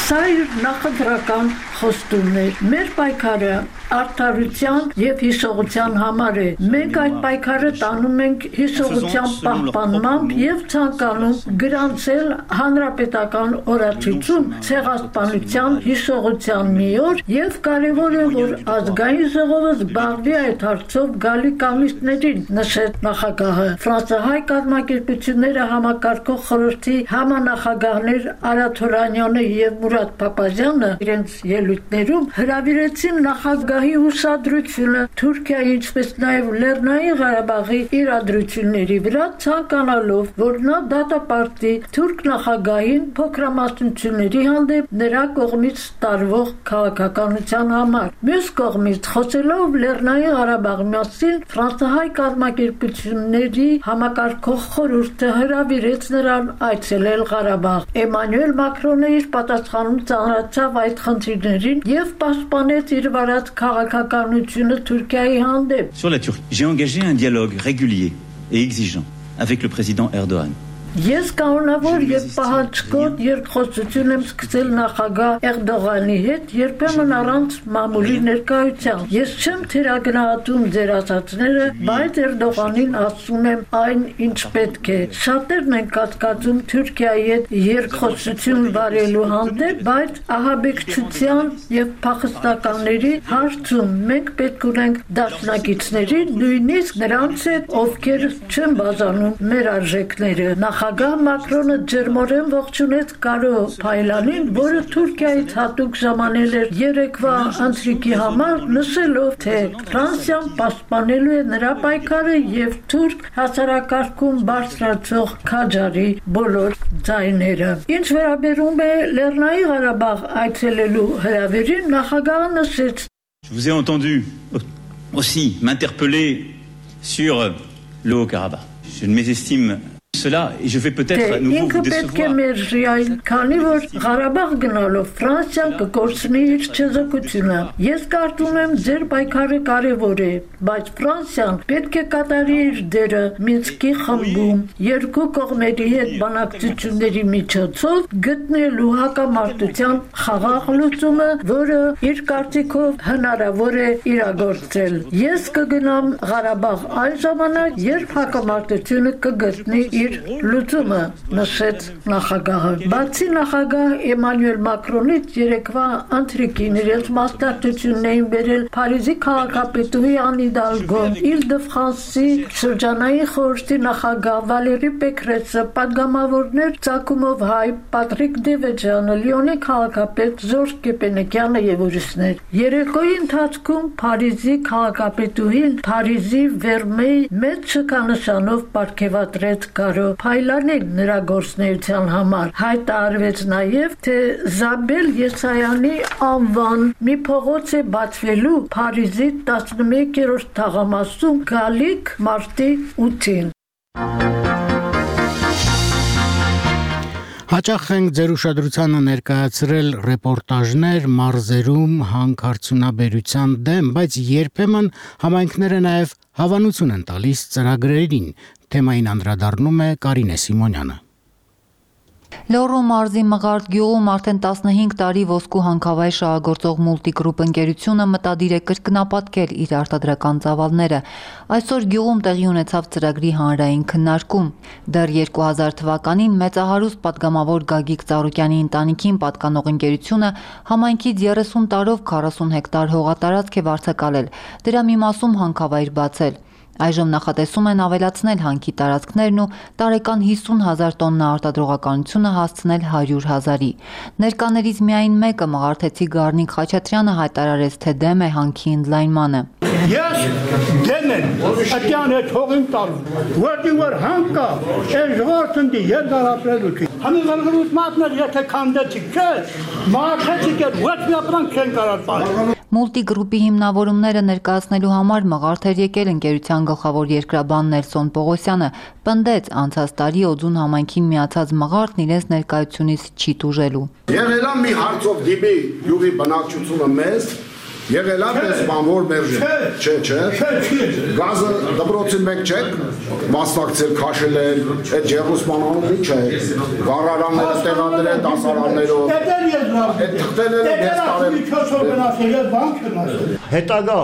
Սա իր նախընտրական խոստումն էր։ Մեր պայքարը արդարության եւ հիշողության համար է։ Մենք այդ պայքարը տանում ենք հիշողության պահպանմամբ եւ ցանկանում գրանցել հանրապետական օրացույցում ցեղասպանության հիշողության մի օր եւ կարեւոր է, որ ազգային ժողովը զբաղվի այդ հարցով գալիք ամիսներին, նշեց նախագահը։ Ֆրանսահայ կազմակերպությունները համակարգող խորհրդի համանախագահներ Արա Թորանյանը եւ Մուրադ Փափազյանը իրենց ելույթներում հրավիրեցին նախագահի ուշադրությունը Թուրքիայի, ինչպես նաև Լեռնային Ղարաբաղի իրադրությունների վրա, ցանկանալով, որ նա դատապարտի թուրք նախագահին փոքրամասնությունների հանդեպ նրա կողմից տարվող քաղաքականության համար։ Մյուս կողմից, խոսելով Լեռնային Ղարաբաղի մասին, ֆրանսահայ կազմակերպությունների համակարգող խորհուրդը հրավիրեց նրան այցելել Ղարաբաղ։ Էմանուել Մակրոնը իր պատասխանում ծանրացավ այդ խնդիրներին եւ պաշտպանեց իր վարած քաղաքականությունը Թուրքիայի հանդեպ։ Sur la Turquie, j'ai engagé un dialogue régulier et exigeant avec le président Erdogan. Ես կանոնավոր եւ պահանջկոտ երկխոսություն եմ սկսել նախագահ Էրդողանի հետ, երբեմն առանց մամուլի ներկայության։ Ես չեմ թերագնահատում ձեր ասածները, բայց Էրդողանին ասում եմ այն, ինչ պետք է։ Շատերն են կասկածում Թուրքիայի հետ երկխոսություն վարելու հանդեպ, բայց ահաբեկչության եւ փախստականների հարցում մենք պետք ունենք դաշնակիցների, նույնիսկ նրանց հետ, ովքեր չեն բաժանում մեր արժեքները։ Նախագահ Մակրոնը ջերմորեն ողջունեց Կարո Փայլանին, որը Թուրքիայից հատուկ ժամանել էր երեկվա ընթրիքի համար, նշելով, թե Ֆրանսիան պաշտպանելու է նրա պայքարը եւ թուրք հասարակարգում բարձրացող քաջարի բոլոր ձայները։ Ինչ վերաբերում է Լեռնային Ղարաբաղ այցելելու հրավերին, նախագահը նշեց. Je vous ai entendu aussi m'interpeller sur le Haut-Karabakh. Je ne mésestime cela et je vais peut-être nouveau vous décevoir. Քանի որ Ղարաբաղ գնալով Ֆրանսիան կկորցնի իր չեզոքությունը։ Ես կարծում եմ ձեր պայքարը կարևոր է, բայց Ֆրանսիան պետք է կատարի իր դերը Մինսկի խմբում երկու կողմերի հետ բանակցությունների միջոցով գտնելու հակամարտության խաղաղ լուծումը, որը իր կարծիքով հնարավոր է իրագործել։ Ես կգնամ Ղարաբաղ այն ժամանակ, երբ հակամարտությունը կգտնի իր լուծումը, նշեց նախագահը։ Բացի նախագահ Էմանուել Մակրոնից երեկվա ընթրիքին իրենց մասնակցությունն էին բերել Փարիզի քաղաքապետուհի Ան Իդալգոն, Իլ-դե-Ֆրանսի շրջանային խորհրդի նախագահ Վալերի Պեկրեսը, պատգամավորներ Ծագումով հայ Պատրիկ Դևեջյանը, Լիոնի քաղաքապետ Ժորժ Կեպենեկյանը եւ ուրիշներ։ Երեկոյի ընթացքում Փարիզի քաղաքապետուհին Փարիզի Վերմեյ մեծ շքանշանով պարգևատրեց Կարո Փայլանին նրա գործունեության համար։ Հայտարարվեց նաև, թե Զաբել Եսայանի անվան մի փողոց է բացվելու Փարիզի տասնմեկերորդ թաղամասում գալիք մարտի ութին։ Հաճախ ենք ձեր ուշադրությանը ներկայացրել ռեպորտաժներ մարզերում հանքարդյունաբերության դեմ, բայց երբեմն համայնքները նաև հավանություն են տալիս ծրագրերին։ Թեմային անդրադառնում է Կարինե Սիմոնյանը։ Լոռու մարզի Մղարդ գյուղում արդեն տասնհինգ տարի ոսկու հանքավայր շահագործող Multigroup ընկերությունը մտադիր է կրկնապատկել իր արտադրական ծավալները։ Այսօր գյուղում տեղի ունեցավ ծրագրի հանրային քննարկում։ Դեռ երկու հազար թվականին մեծահարուստ պատգամավոր Գագիկ Ծառուկյանի ընտանիքին պատկանող ընկերությունը համայնքից երեսուն տարով քառասուն հեկտար հողատարածք է վարձակալել, դրա մի մասում հանքավայր բացել։ Այժմ նախատեսում են ավելացնել հանքի տարածքներն ու տարեկան հիսուն հազար տոննա արտադրողականությունը հասցնել հարյուր հազարի։ Ներկաներից միայն մեկը Մղարդեցի Գառնիկ Խաչատրյանը հայտարարեց, թե դեմ է հանքի ընդլայնմանը։ Ես դեմ եմ, ատյան հետ հողին տալու, որտի որ հանքա, այս ժողովրդի երկարապրելուքի։ Համիզարգրուց մատներ եթե քանդեցիք, չէ, մաղարդեցիք էր, ոչ մի ապրանք չեն կարող տալ։ Multigroup-ի հիմնավորումները ներկայացնելու համար Մղարդ էր եկել ընկերության գլխավոր երկրաբան Նելսոն Պողոսյանը, պնդեց անցած տարի Օձուն համայնքին միացած Մղարդն իրենց ներկայությունից չի տուժելու։ Եղել է մի հարցով դիպի յուղի բնակչությունը մեզ, եղել է պես բանվոր մերժին, չէ, չէ, գազը դպրոցին մեկ չեք, մասնակցել քաշել են, այդ ջեղուսմանանում ինչ է, գարարանները տեղադրել դասարաններով, այդ թղթերները ես տարել։ Հետագա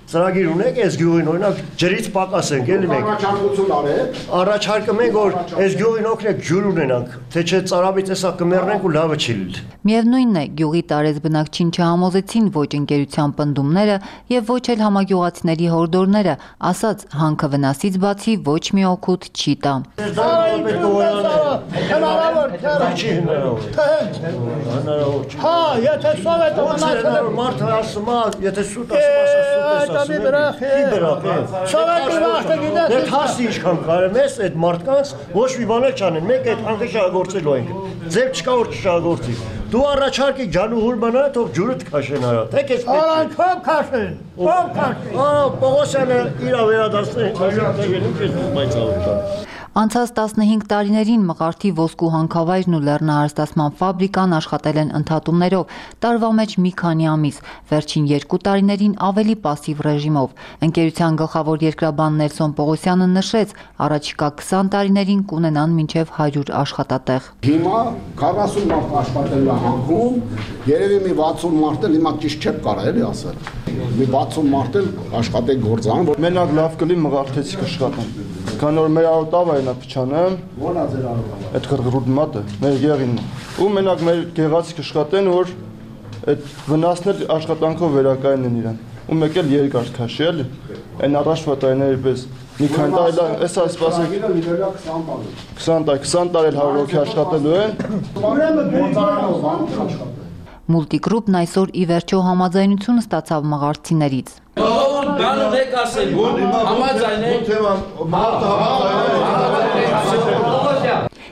ծրագիր ունեք այս գյուղին օրինակ ջրից պակաս ենք էլի մենք առաջարկություն արեք առաջարկում ենք որ այս գյուղին օգնեք ջուր ունենանք թե չէ ծարավի տեսակ կմեռնենք ու լավը չի լինի։ Միևնույնն է, գյուղի տարեց բնակչին չհամոզեցին ոչ ընկերության պնդումները եւ ոչ էլ համագյուղացիների հորդորները, ասաց հանքը վնասից բացի ոչ մի օգուտ չի տա։ Հա, եթե սովետը մնացել մարդը ասում է, եթե սուտ ասում Դե հասի ինչքան կարեմ ես այդ մարդկանց ոչ մի բան չանեն, մեկ այդ հանքը շահագործելու ենք, ձև չկա որ չշահագործի, դու առաջարկի ջանուհուր բանա, թող ջուրդ քաշեն արա, թեք ես պետք է։ Ով քաշեն, ով քաշեն։ Ահա Պողոսյանը իրա վերադասել Անցած տասնհինգ տարիներին Մղարդի ոսկու հանքավայրն ու լեռնահարստացման ֆաբրիկան աշխատել են ընդհատումներով, տարվա մեջ մի քանի ամիս, վերջին երկու տարիներին ավելի պասիվ ռեժիմով։ Ընկերության գլխավոր երկրաբան Նելսոն Պողոսյանը նշեց, առաջիկա քսան տարիներին կունենան մինչև հարյուր աշխատատեղ։ Հիմա քառասուն մարդ աշխատել է հանքում, երևի մի վաթսուն մարդ էլ հիմա ճիշտ չեք կարող էլի ասել։ Մի վաթսուն մարդ էլ աշխատեք գործան, որ մենակ լավ կլի Մղարդեցի կաշխատեն։ Քան որ մեր արոտավը այնա փչանեմ, ո՞ն է ձեր արոտավը։ Այդ գրգռուտ մատը, մեր գեղինն։ Ու մենակ մեր գեղացի կաշխատեն, որ այդ վնասներ աշխատանքով վերակայնեն իրան։ Ու մեկ էլ երկար քաշի էլի։ Այն առաջվա տարիների պես մի քանի տարի էս ասպասեք քսան տարի, քսան տարի էլ հարյուր հոգի աշխատելու են։ Multigroup-ն այսօր ի վերջո համաձայնություն ստացավ մղարդցիներից։ Բանը մեկ ասել, որ համաձայնեք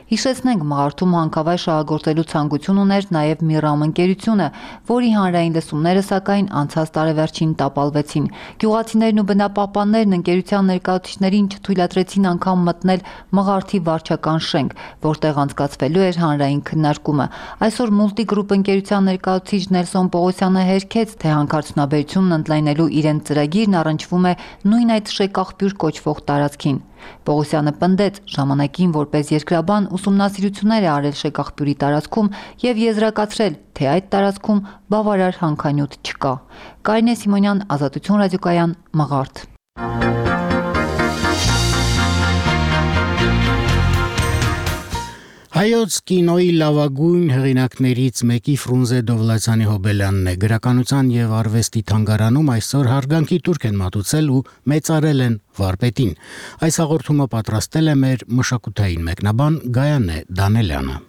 Հիշեցնենք, Մղարդում հանքավայր շահագործելու ցանկություն ուներ նաև Միրամ ընկերությունը, որի հանրային լսումները սակայն անցած տարեվերջին տապալվեցին։ Գյուղացիներն ու բնապահպաններն ընկերության ներկայացուցիչներին չթույլատրեցին անգամ մտնել Մղարդի վարչական շենք, որտեղ անցկացվելու էր հանրային քննարկումը։ Այսօր Multigroup ընկերության ներկայացուցիչ Նելսոն Պողոսյանը հերքեց, թե հանքարդյունաբերությունն ընդլայնելու իրենց ծրագիրն առնչվում է նույն այդ շեկախբյուր կոչվող տարածքին։ Պողոսյանը պնդեց, ժամանակին որպես երկրաբան ուսումնասիրություններ է արել շեկախբյուրի տարածքում եւ եզրակացրել, թե այդ տարածքում բավարար հանքանյութ չկա։ Կարինե Սիմոնյան, Ազատություն ռադիոկայան, Մղարդ։ Հայոց կինոյի լավագույն հեղինակներից մեկի Ֆրունզե Դովլացյանի Հոբելյանն է։ Գրականության եւ արվեստի թանգարանում այսօր հարգանքի տուրք են մատուցել ու մեծարել են վարպետին։ Այս հաղորդումը պատրաստել է մեր մշակութային մեկնաբան Գայանե Դանելյանը։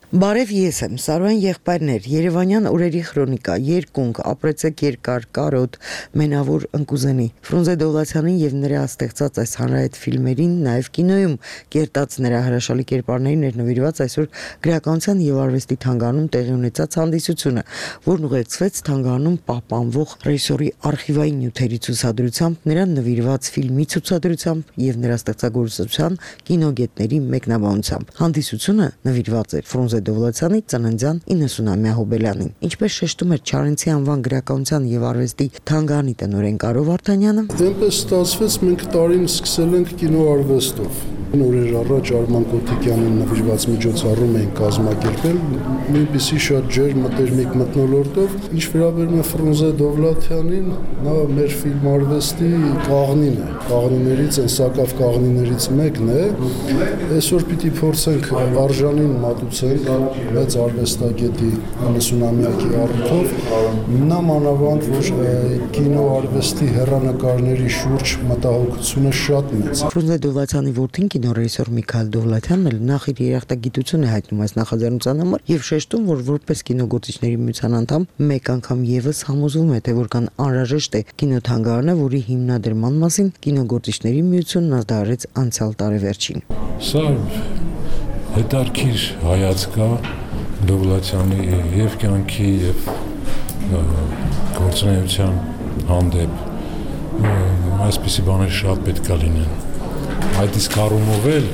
Բարև, ես եմ Սարոյան եղբայրներ, Երևանյան օրերի քրոնիկա, երկունք, ապրեցեք երկար, կարոտ, մենավոր ընկուզենի։ Ֆրունզե Դովլացյանին եւ նրա ստեղծած այս հանրայդ ֆիլմերին, նաեւ կինոյում կերտած նրա հրաշալի կերպարներին էր նվիրված այսօր գրականության եւ արվեստի թանգարանում տեղի ունեցած հանդիսությունը, որն ուղեկցվեց թանգարանում պահպանվող ռեժիսորի արխիվային նյութերի ցուցադրությամբ, նրան նվիրված ֆիլմի ցուցադրությամբ եւ նրա ստեղծագործության կինոգետների մեկնաբանությամբ։ Հանդիսությունը նվիրված էր Ֆրունզե Դովլացյանի ծննդյան իննսունամյա Հոբելյանին։ Ինչպես շեշտում էր Չարենցի անվան գրականության եւ արվեստի թանգարանի տնօրեն Կարո Վարդանյանը, այնպես ստացվեց մենք տարին սկսել ենք կինոարվեստով։ Օրեր առաջ Արման Կոթիկյանին նվիրված միջոցառում էին կազմակերպել, նույնպիսի շատ ջերմ մտերմիկ մթնոլորտով, ինչ վերաբերում է Ֆրունզե Դովլաթյանին, նա մեր ֆիլմարվեստի կաղնին է, կաղնիներից, այն սակավ կաղնիներից մեկն է, այսօր պիտի փորձենք արժանին մատուցենք մեծ արվեստագետի նվսունամյակի առիթով, նա մանավանդ, որ կինոարվեստի հեռանկարների շուրջ մտահոգությունը շատ մեծ։ Ֆրունզե Դովլաթյանի որդին կինոռեժիսոր Միքայել Դովլաթյանն էլ նախ իր երախտագիտություն է հայտնում այս նախաձեռնության համար եւ շեշտում, որ որպես կինոգործիչների միության անդամ մեկ անգամ եւս համոզվում է, թե որքան անհրաժեշտ է կինոթանգարանը, որի հիմնադրման մասին կինոգործիչների միությունն ազդարարեց անցյալ տարեվերջին։ Սա հետարքիր հայացք է Դովլաթյանի եւ կյանքի եւ գործունեության հանդեպ, այսպիսի բաներ շատ պետք է լինեն։ Այդ իսկ առումով էլ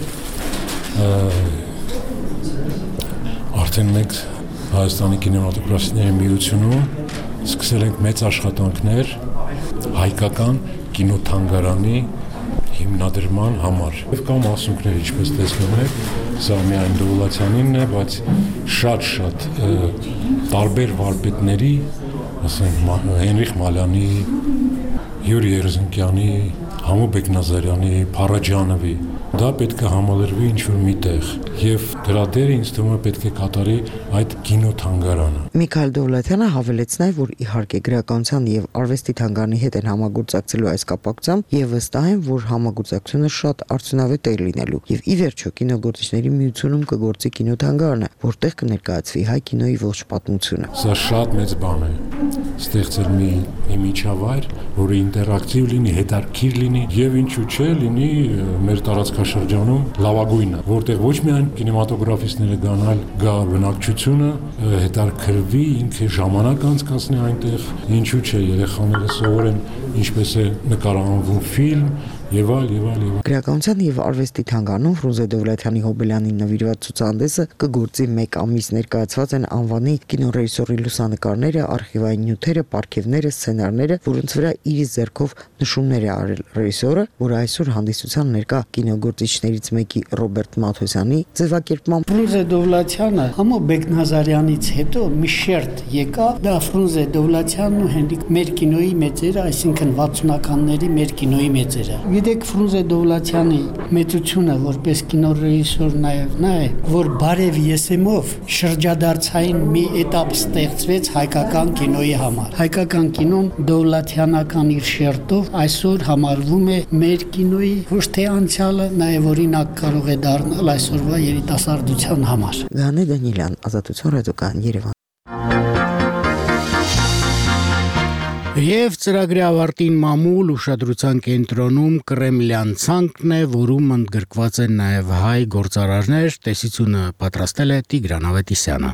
արդեն մենք Հայաստանի կինեմատոգրաֆիստների միությունում սկսել ենք մեծ աշխատանքներ հայկական կինոթանգարանի հիմնադրման համար։ Կամ մասունքներ, ինչպես տեսնում եք, սա միայն Դովլաթյանինն է, բայց շատ-շատ տարբեր վարպետների, ասենք Հենրիխ Մալյանի, Յուրի Երզնկյանի, Համո Բեկնազարյանի, Փարաջանովի, դա պետք է համալրվի ինչ-որ միտեղ եւ դրա դերը ինձ թվում է պետք է կատարի այդ կինոթանգարանը։ Միքայել Դովլաթյանը հավելեց նաև, որ իհարկե գրականության եւ արվեստի թանգարանի հետ են համագործակցելու այս կապակցությամբ եւ վստահ են, որ համագործակցությունը շատ արդյունավետ է լինելու եւ ի վերջո կինոգործիչների միությունում կգործի կինոթանգարանը, որտեղ կներկայացվի հայ կինոյի ողջ պատմությունը։ Սա շատ մեծ բան է ստեղծել մի միջավայր, որը ինտերակտիվ լինի, հետաքրքիր լինի եւ ինչու՞ չէ լինի մեր տարածքաշրջանում լավագույնը, որտեղ ոչ միայն կինեմատոգրաֆիստները գան, այլ գա բնակչությունը, հետաքրքրվի, ինքը ժամանակ անցկացնի այնտեղ, ինչու՞ չէ երեխաները սովորեն ինչպես է նկարահանվում ֆիլմ եւ այլ եւ այլ եւ այլ։ Գրականության եւ արվեստի թանգարանում Ֆրունզե Դովլաթյանի Հոբելյանին նվիրված ցուցահանդեսը կգործի մեկ ամիս, ներկայացված են անվանի կինոռեժիսորի լուսանկարները, արխիվային նյութերը, պարգևները, սցենարները, որոնց վրա իր ձեռքով նշումներ է արել ռեժիսորը, որը այսօր հանդիսության ներկա կինոգործիչներից մեկի Ռոբերտ Մաթոսյանի ձևակերպմամբ Ֆրունզե Դովլաթյանը Համո Բեկնազարյանից հետո մի շերտ եկավ, դա Ֆրունզե Դովլաթյանն ու Հենրիկ մեր կինոյի մեծերը, այսինքն վաթսունականների մեր կինոյի մեծերը։ Գիտեք, Ֆրունզե Դովլաթյանի մեծությունը որպես կինոռեժիսոր նաև նա է, որ բարև եսեմով շրջադարձային մի էտապ ստեղծվեց հայկական կինոյի համար։ Հայկական կինոն Դովլաթյանական իր շերտով այսօր համարվում է մեր կինոյի ոչ թե անցյալը, նաև օրինակ կարող է դառնալ այսօրվա երիտասարդության համար։ Գանե Դանիելյան, Ազատություն ռադիոկայան, Երևան։ Եվ ծրագրի ավարտին մամուլ ուշադրության կենտրոնում Կրեմլյան ցանկն է, որում ընդգրկված են նաև հայ գործարարներ, տեսությունը պատրաստել է Տիգրան Ավետիսյանը։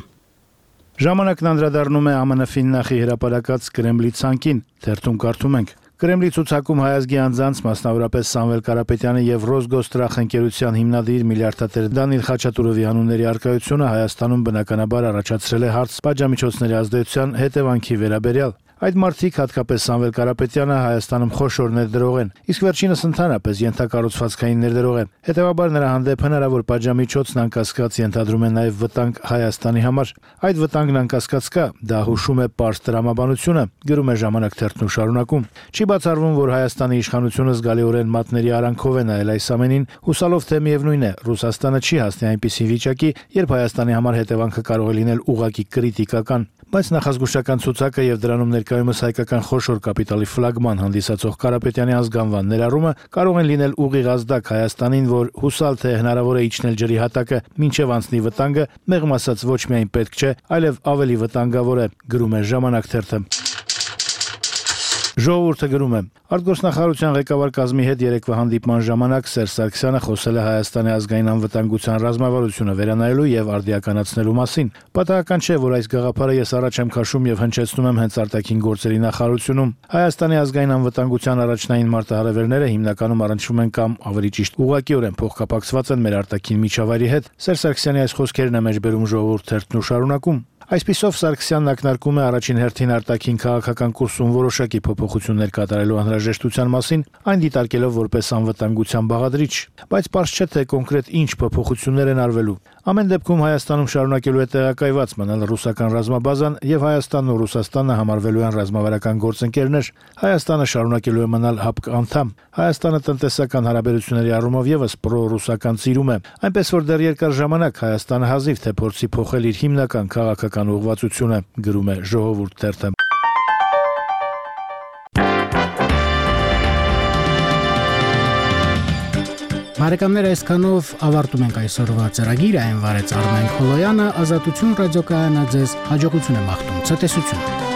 Ժամանակն անդրադառնում է ԱՄՆ ֆիննախի հրապարակած Կրեմլի ցանկին, թերթում կարդում ենք. Կրեմլի ցուցակում հայազգի անձանց, մասնավորապես Սամվել Կարապետյանի եւ Ռոսգոստրախ ընկերության հիմնադիր միլիարդատեր Դանիել Խաչատուրովի անունների առկայությունը Հայաստանում բնականաբար առաջացրել է հարց պատժամիջոցների ազդեցության հետևանքի վերաբերյալ։ Այդ մարդիկ, հատկապես Սամվել Կարապետյանը, Հայաստանում խոշոր ներդրող են, իսկ վերջինս ընդհանրապես ենթակառուցվածքային ներդրող է։ Հետևաբար նրա հանդեպ հնարավոր պատժամիջոցն անկասկած ենթադրում է նաև վտանգ Հայաստանի համար։ Այդ վտանգն անկասկած կա, դա հուշում է պարզ տրամաբանությունը, գրում է Ժամանակ թերթն շարունակում։ Չի բացառվում, որ Հայաստանի իշխանությունը զգալիորեն մատների արանքով է նայել այս ամենին, հուսալով թե միևնույն է, Ռուսաստանը չի հասնի այնպիսի վիճակի, երբ Հայաստանի համար հետևանքը կարող է լինել ուղղակի կրիտիկական։ Բայց նախազգուշական ցուցակը եւ դրանում ներկայումս հայկական խոշոր կապիտալի ֆլագման հանդիսացող Կարապետյանի ազգանվան ներառումը կարող են լինել ուղիղ ազդակ Հայաստանին, որ հուսալ թե հնարավոր է իջնել ջրի հատակը մինչև անցնի վտանգը, մեղմ ասած ոչ միայն պետք չէ, այլև ավելի վտանգավոր է, գրում է Ժամանակ թերթը։ Ժողովուրդը գրում է. Արտգործնախարարության ղեկավար կազմի հետ երեկվա հանդիպման ժամանակ Սերժ Սարգսյանը խոսել է Հայաստանի ազգային անվտանգության ռազմավարությունը վերանայելու եւ արդիականացնելու մասին։ Պատահական չէ, որ այս գաղափարը ես առաջ եմ քաշում եւ հնչեցնում եմ հենց արտաքին գործերի նախարարությունում։ Հայաստանի ազգային անվտանգության առաջնային մարտահրավերները հիմնականում առնչվում են կամ ավելի ճիշտ ուղղակիորեն փոխկապակցված են մեր արտաքին միջավայրի հետ։ Սերժ Սարգսյանի այս խոսքերն է մեջբերում Ժողովուրդ թերթն ու շարունակում. Այսպիսով Սարգսյանն ակնարկում է առաջին հերթին արտաքին քաղաքական կուրսում որոշակի փոփոխություններ կատարելու անհրաժեշտության մասին, այն դիտարկելով որպես անվտանգության բաղադրիչ, բայց պարզ չէ թե կոնկրետ ինչ փոփոխություններ են արվելու։ Ամեն դեպքում Հայաստանում շարունակելու է տեղակայված մնալ ռուսական ռազմաբազան եւ Հայաստանն ու Ռուսաստանը համարվելու են ռազմավարական գործընկերներ։ Հայաստանը շարունակելու է մնալ ՀԱՊԿ անդամ։ Հայաստանը տնտեսական հարաբերությունների առումով եւս պրո-ռուսական ծիրում է, այնպես որ դեռ երկար ժամանակ Հայաստանը հազիվ թե փորձի փոխել իր հիմնական քաղաքական ուղղվածությունը, գրում է Ժողովուրդ թերթը։ Բարեկամներ, այսքանով ավարտում ենք այսօրվա ծրագիրը, այն վարեց Արմեն Խոլոյանը, Ազատություն ռադիոկայանը ձեզ հաջողություն է մաղթում, ցտեսություն։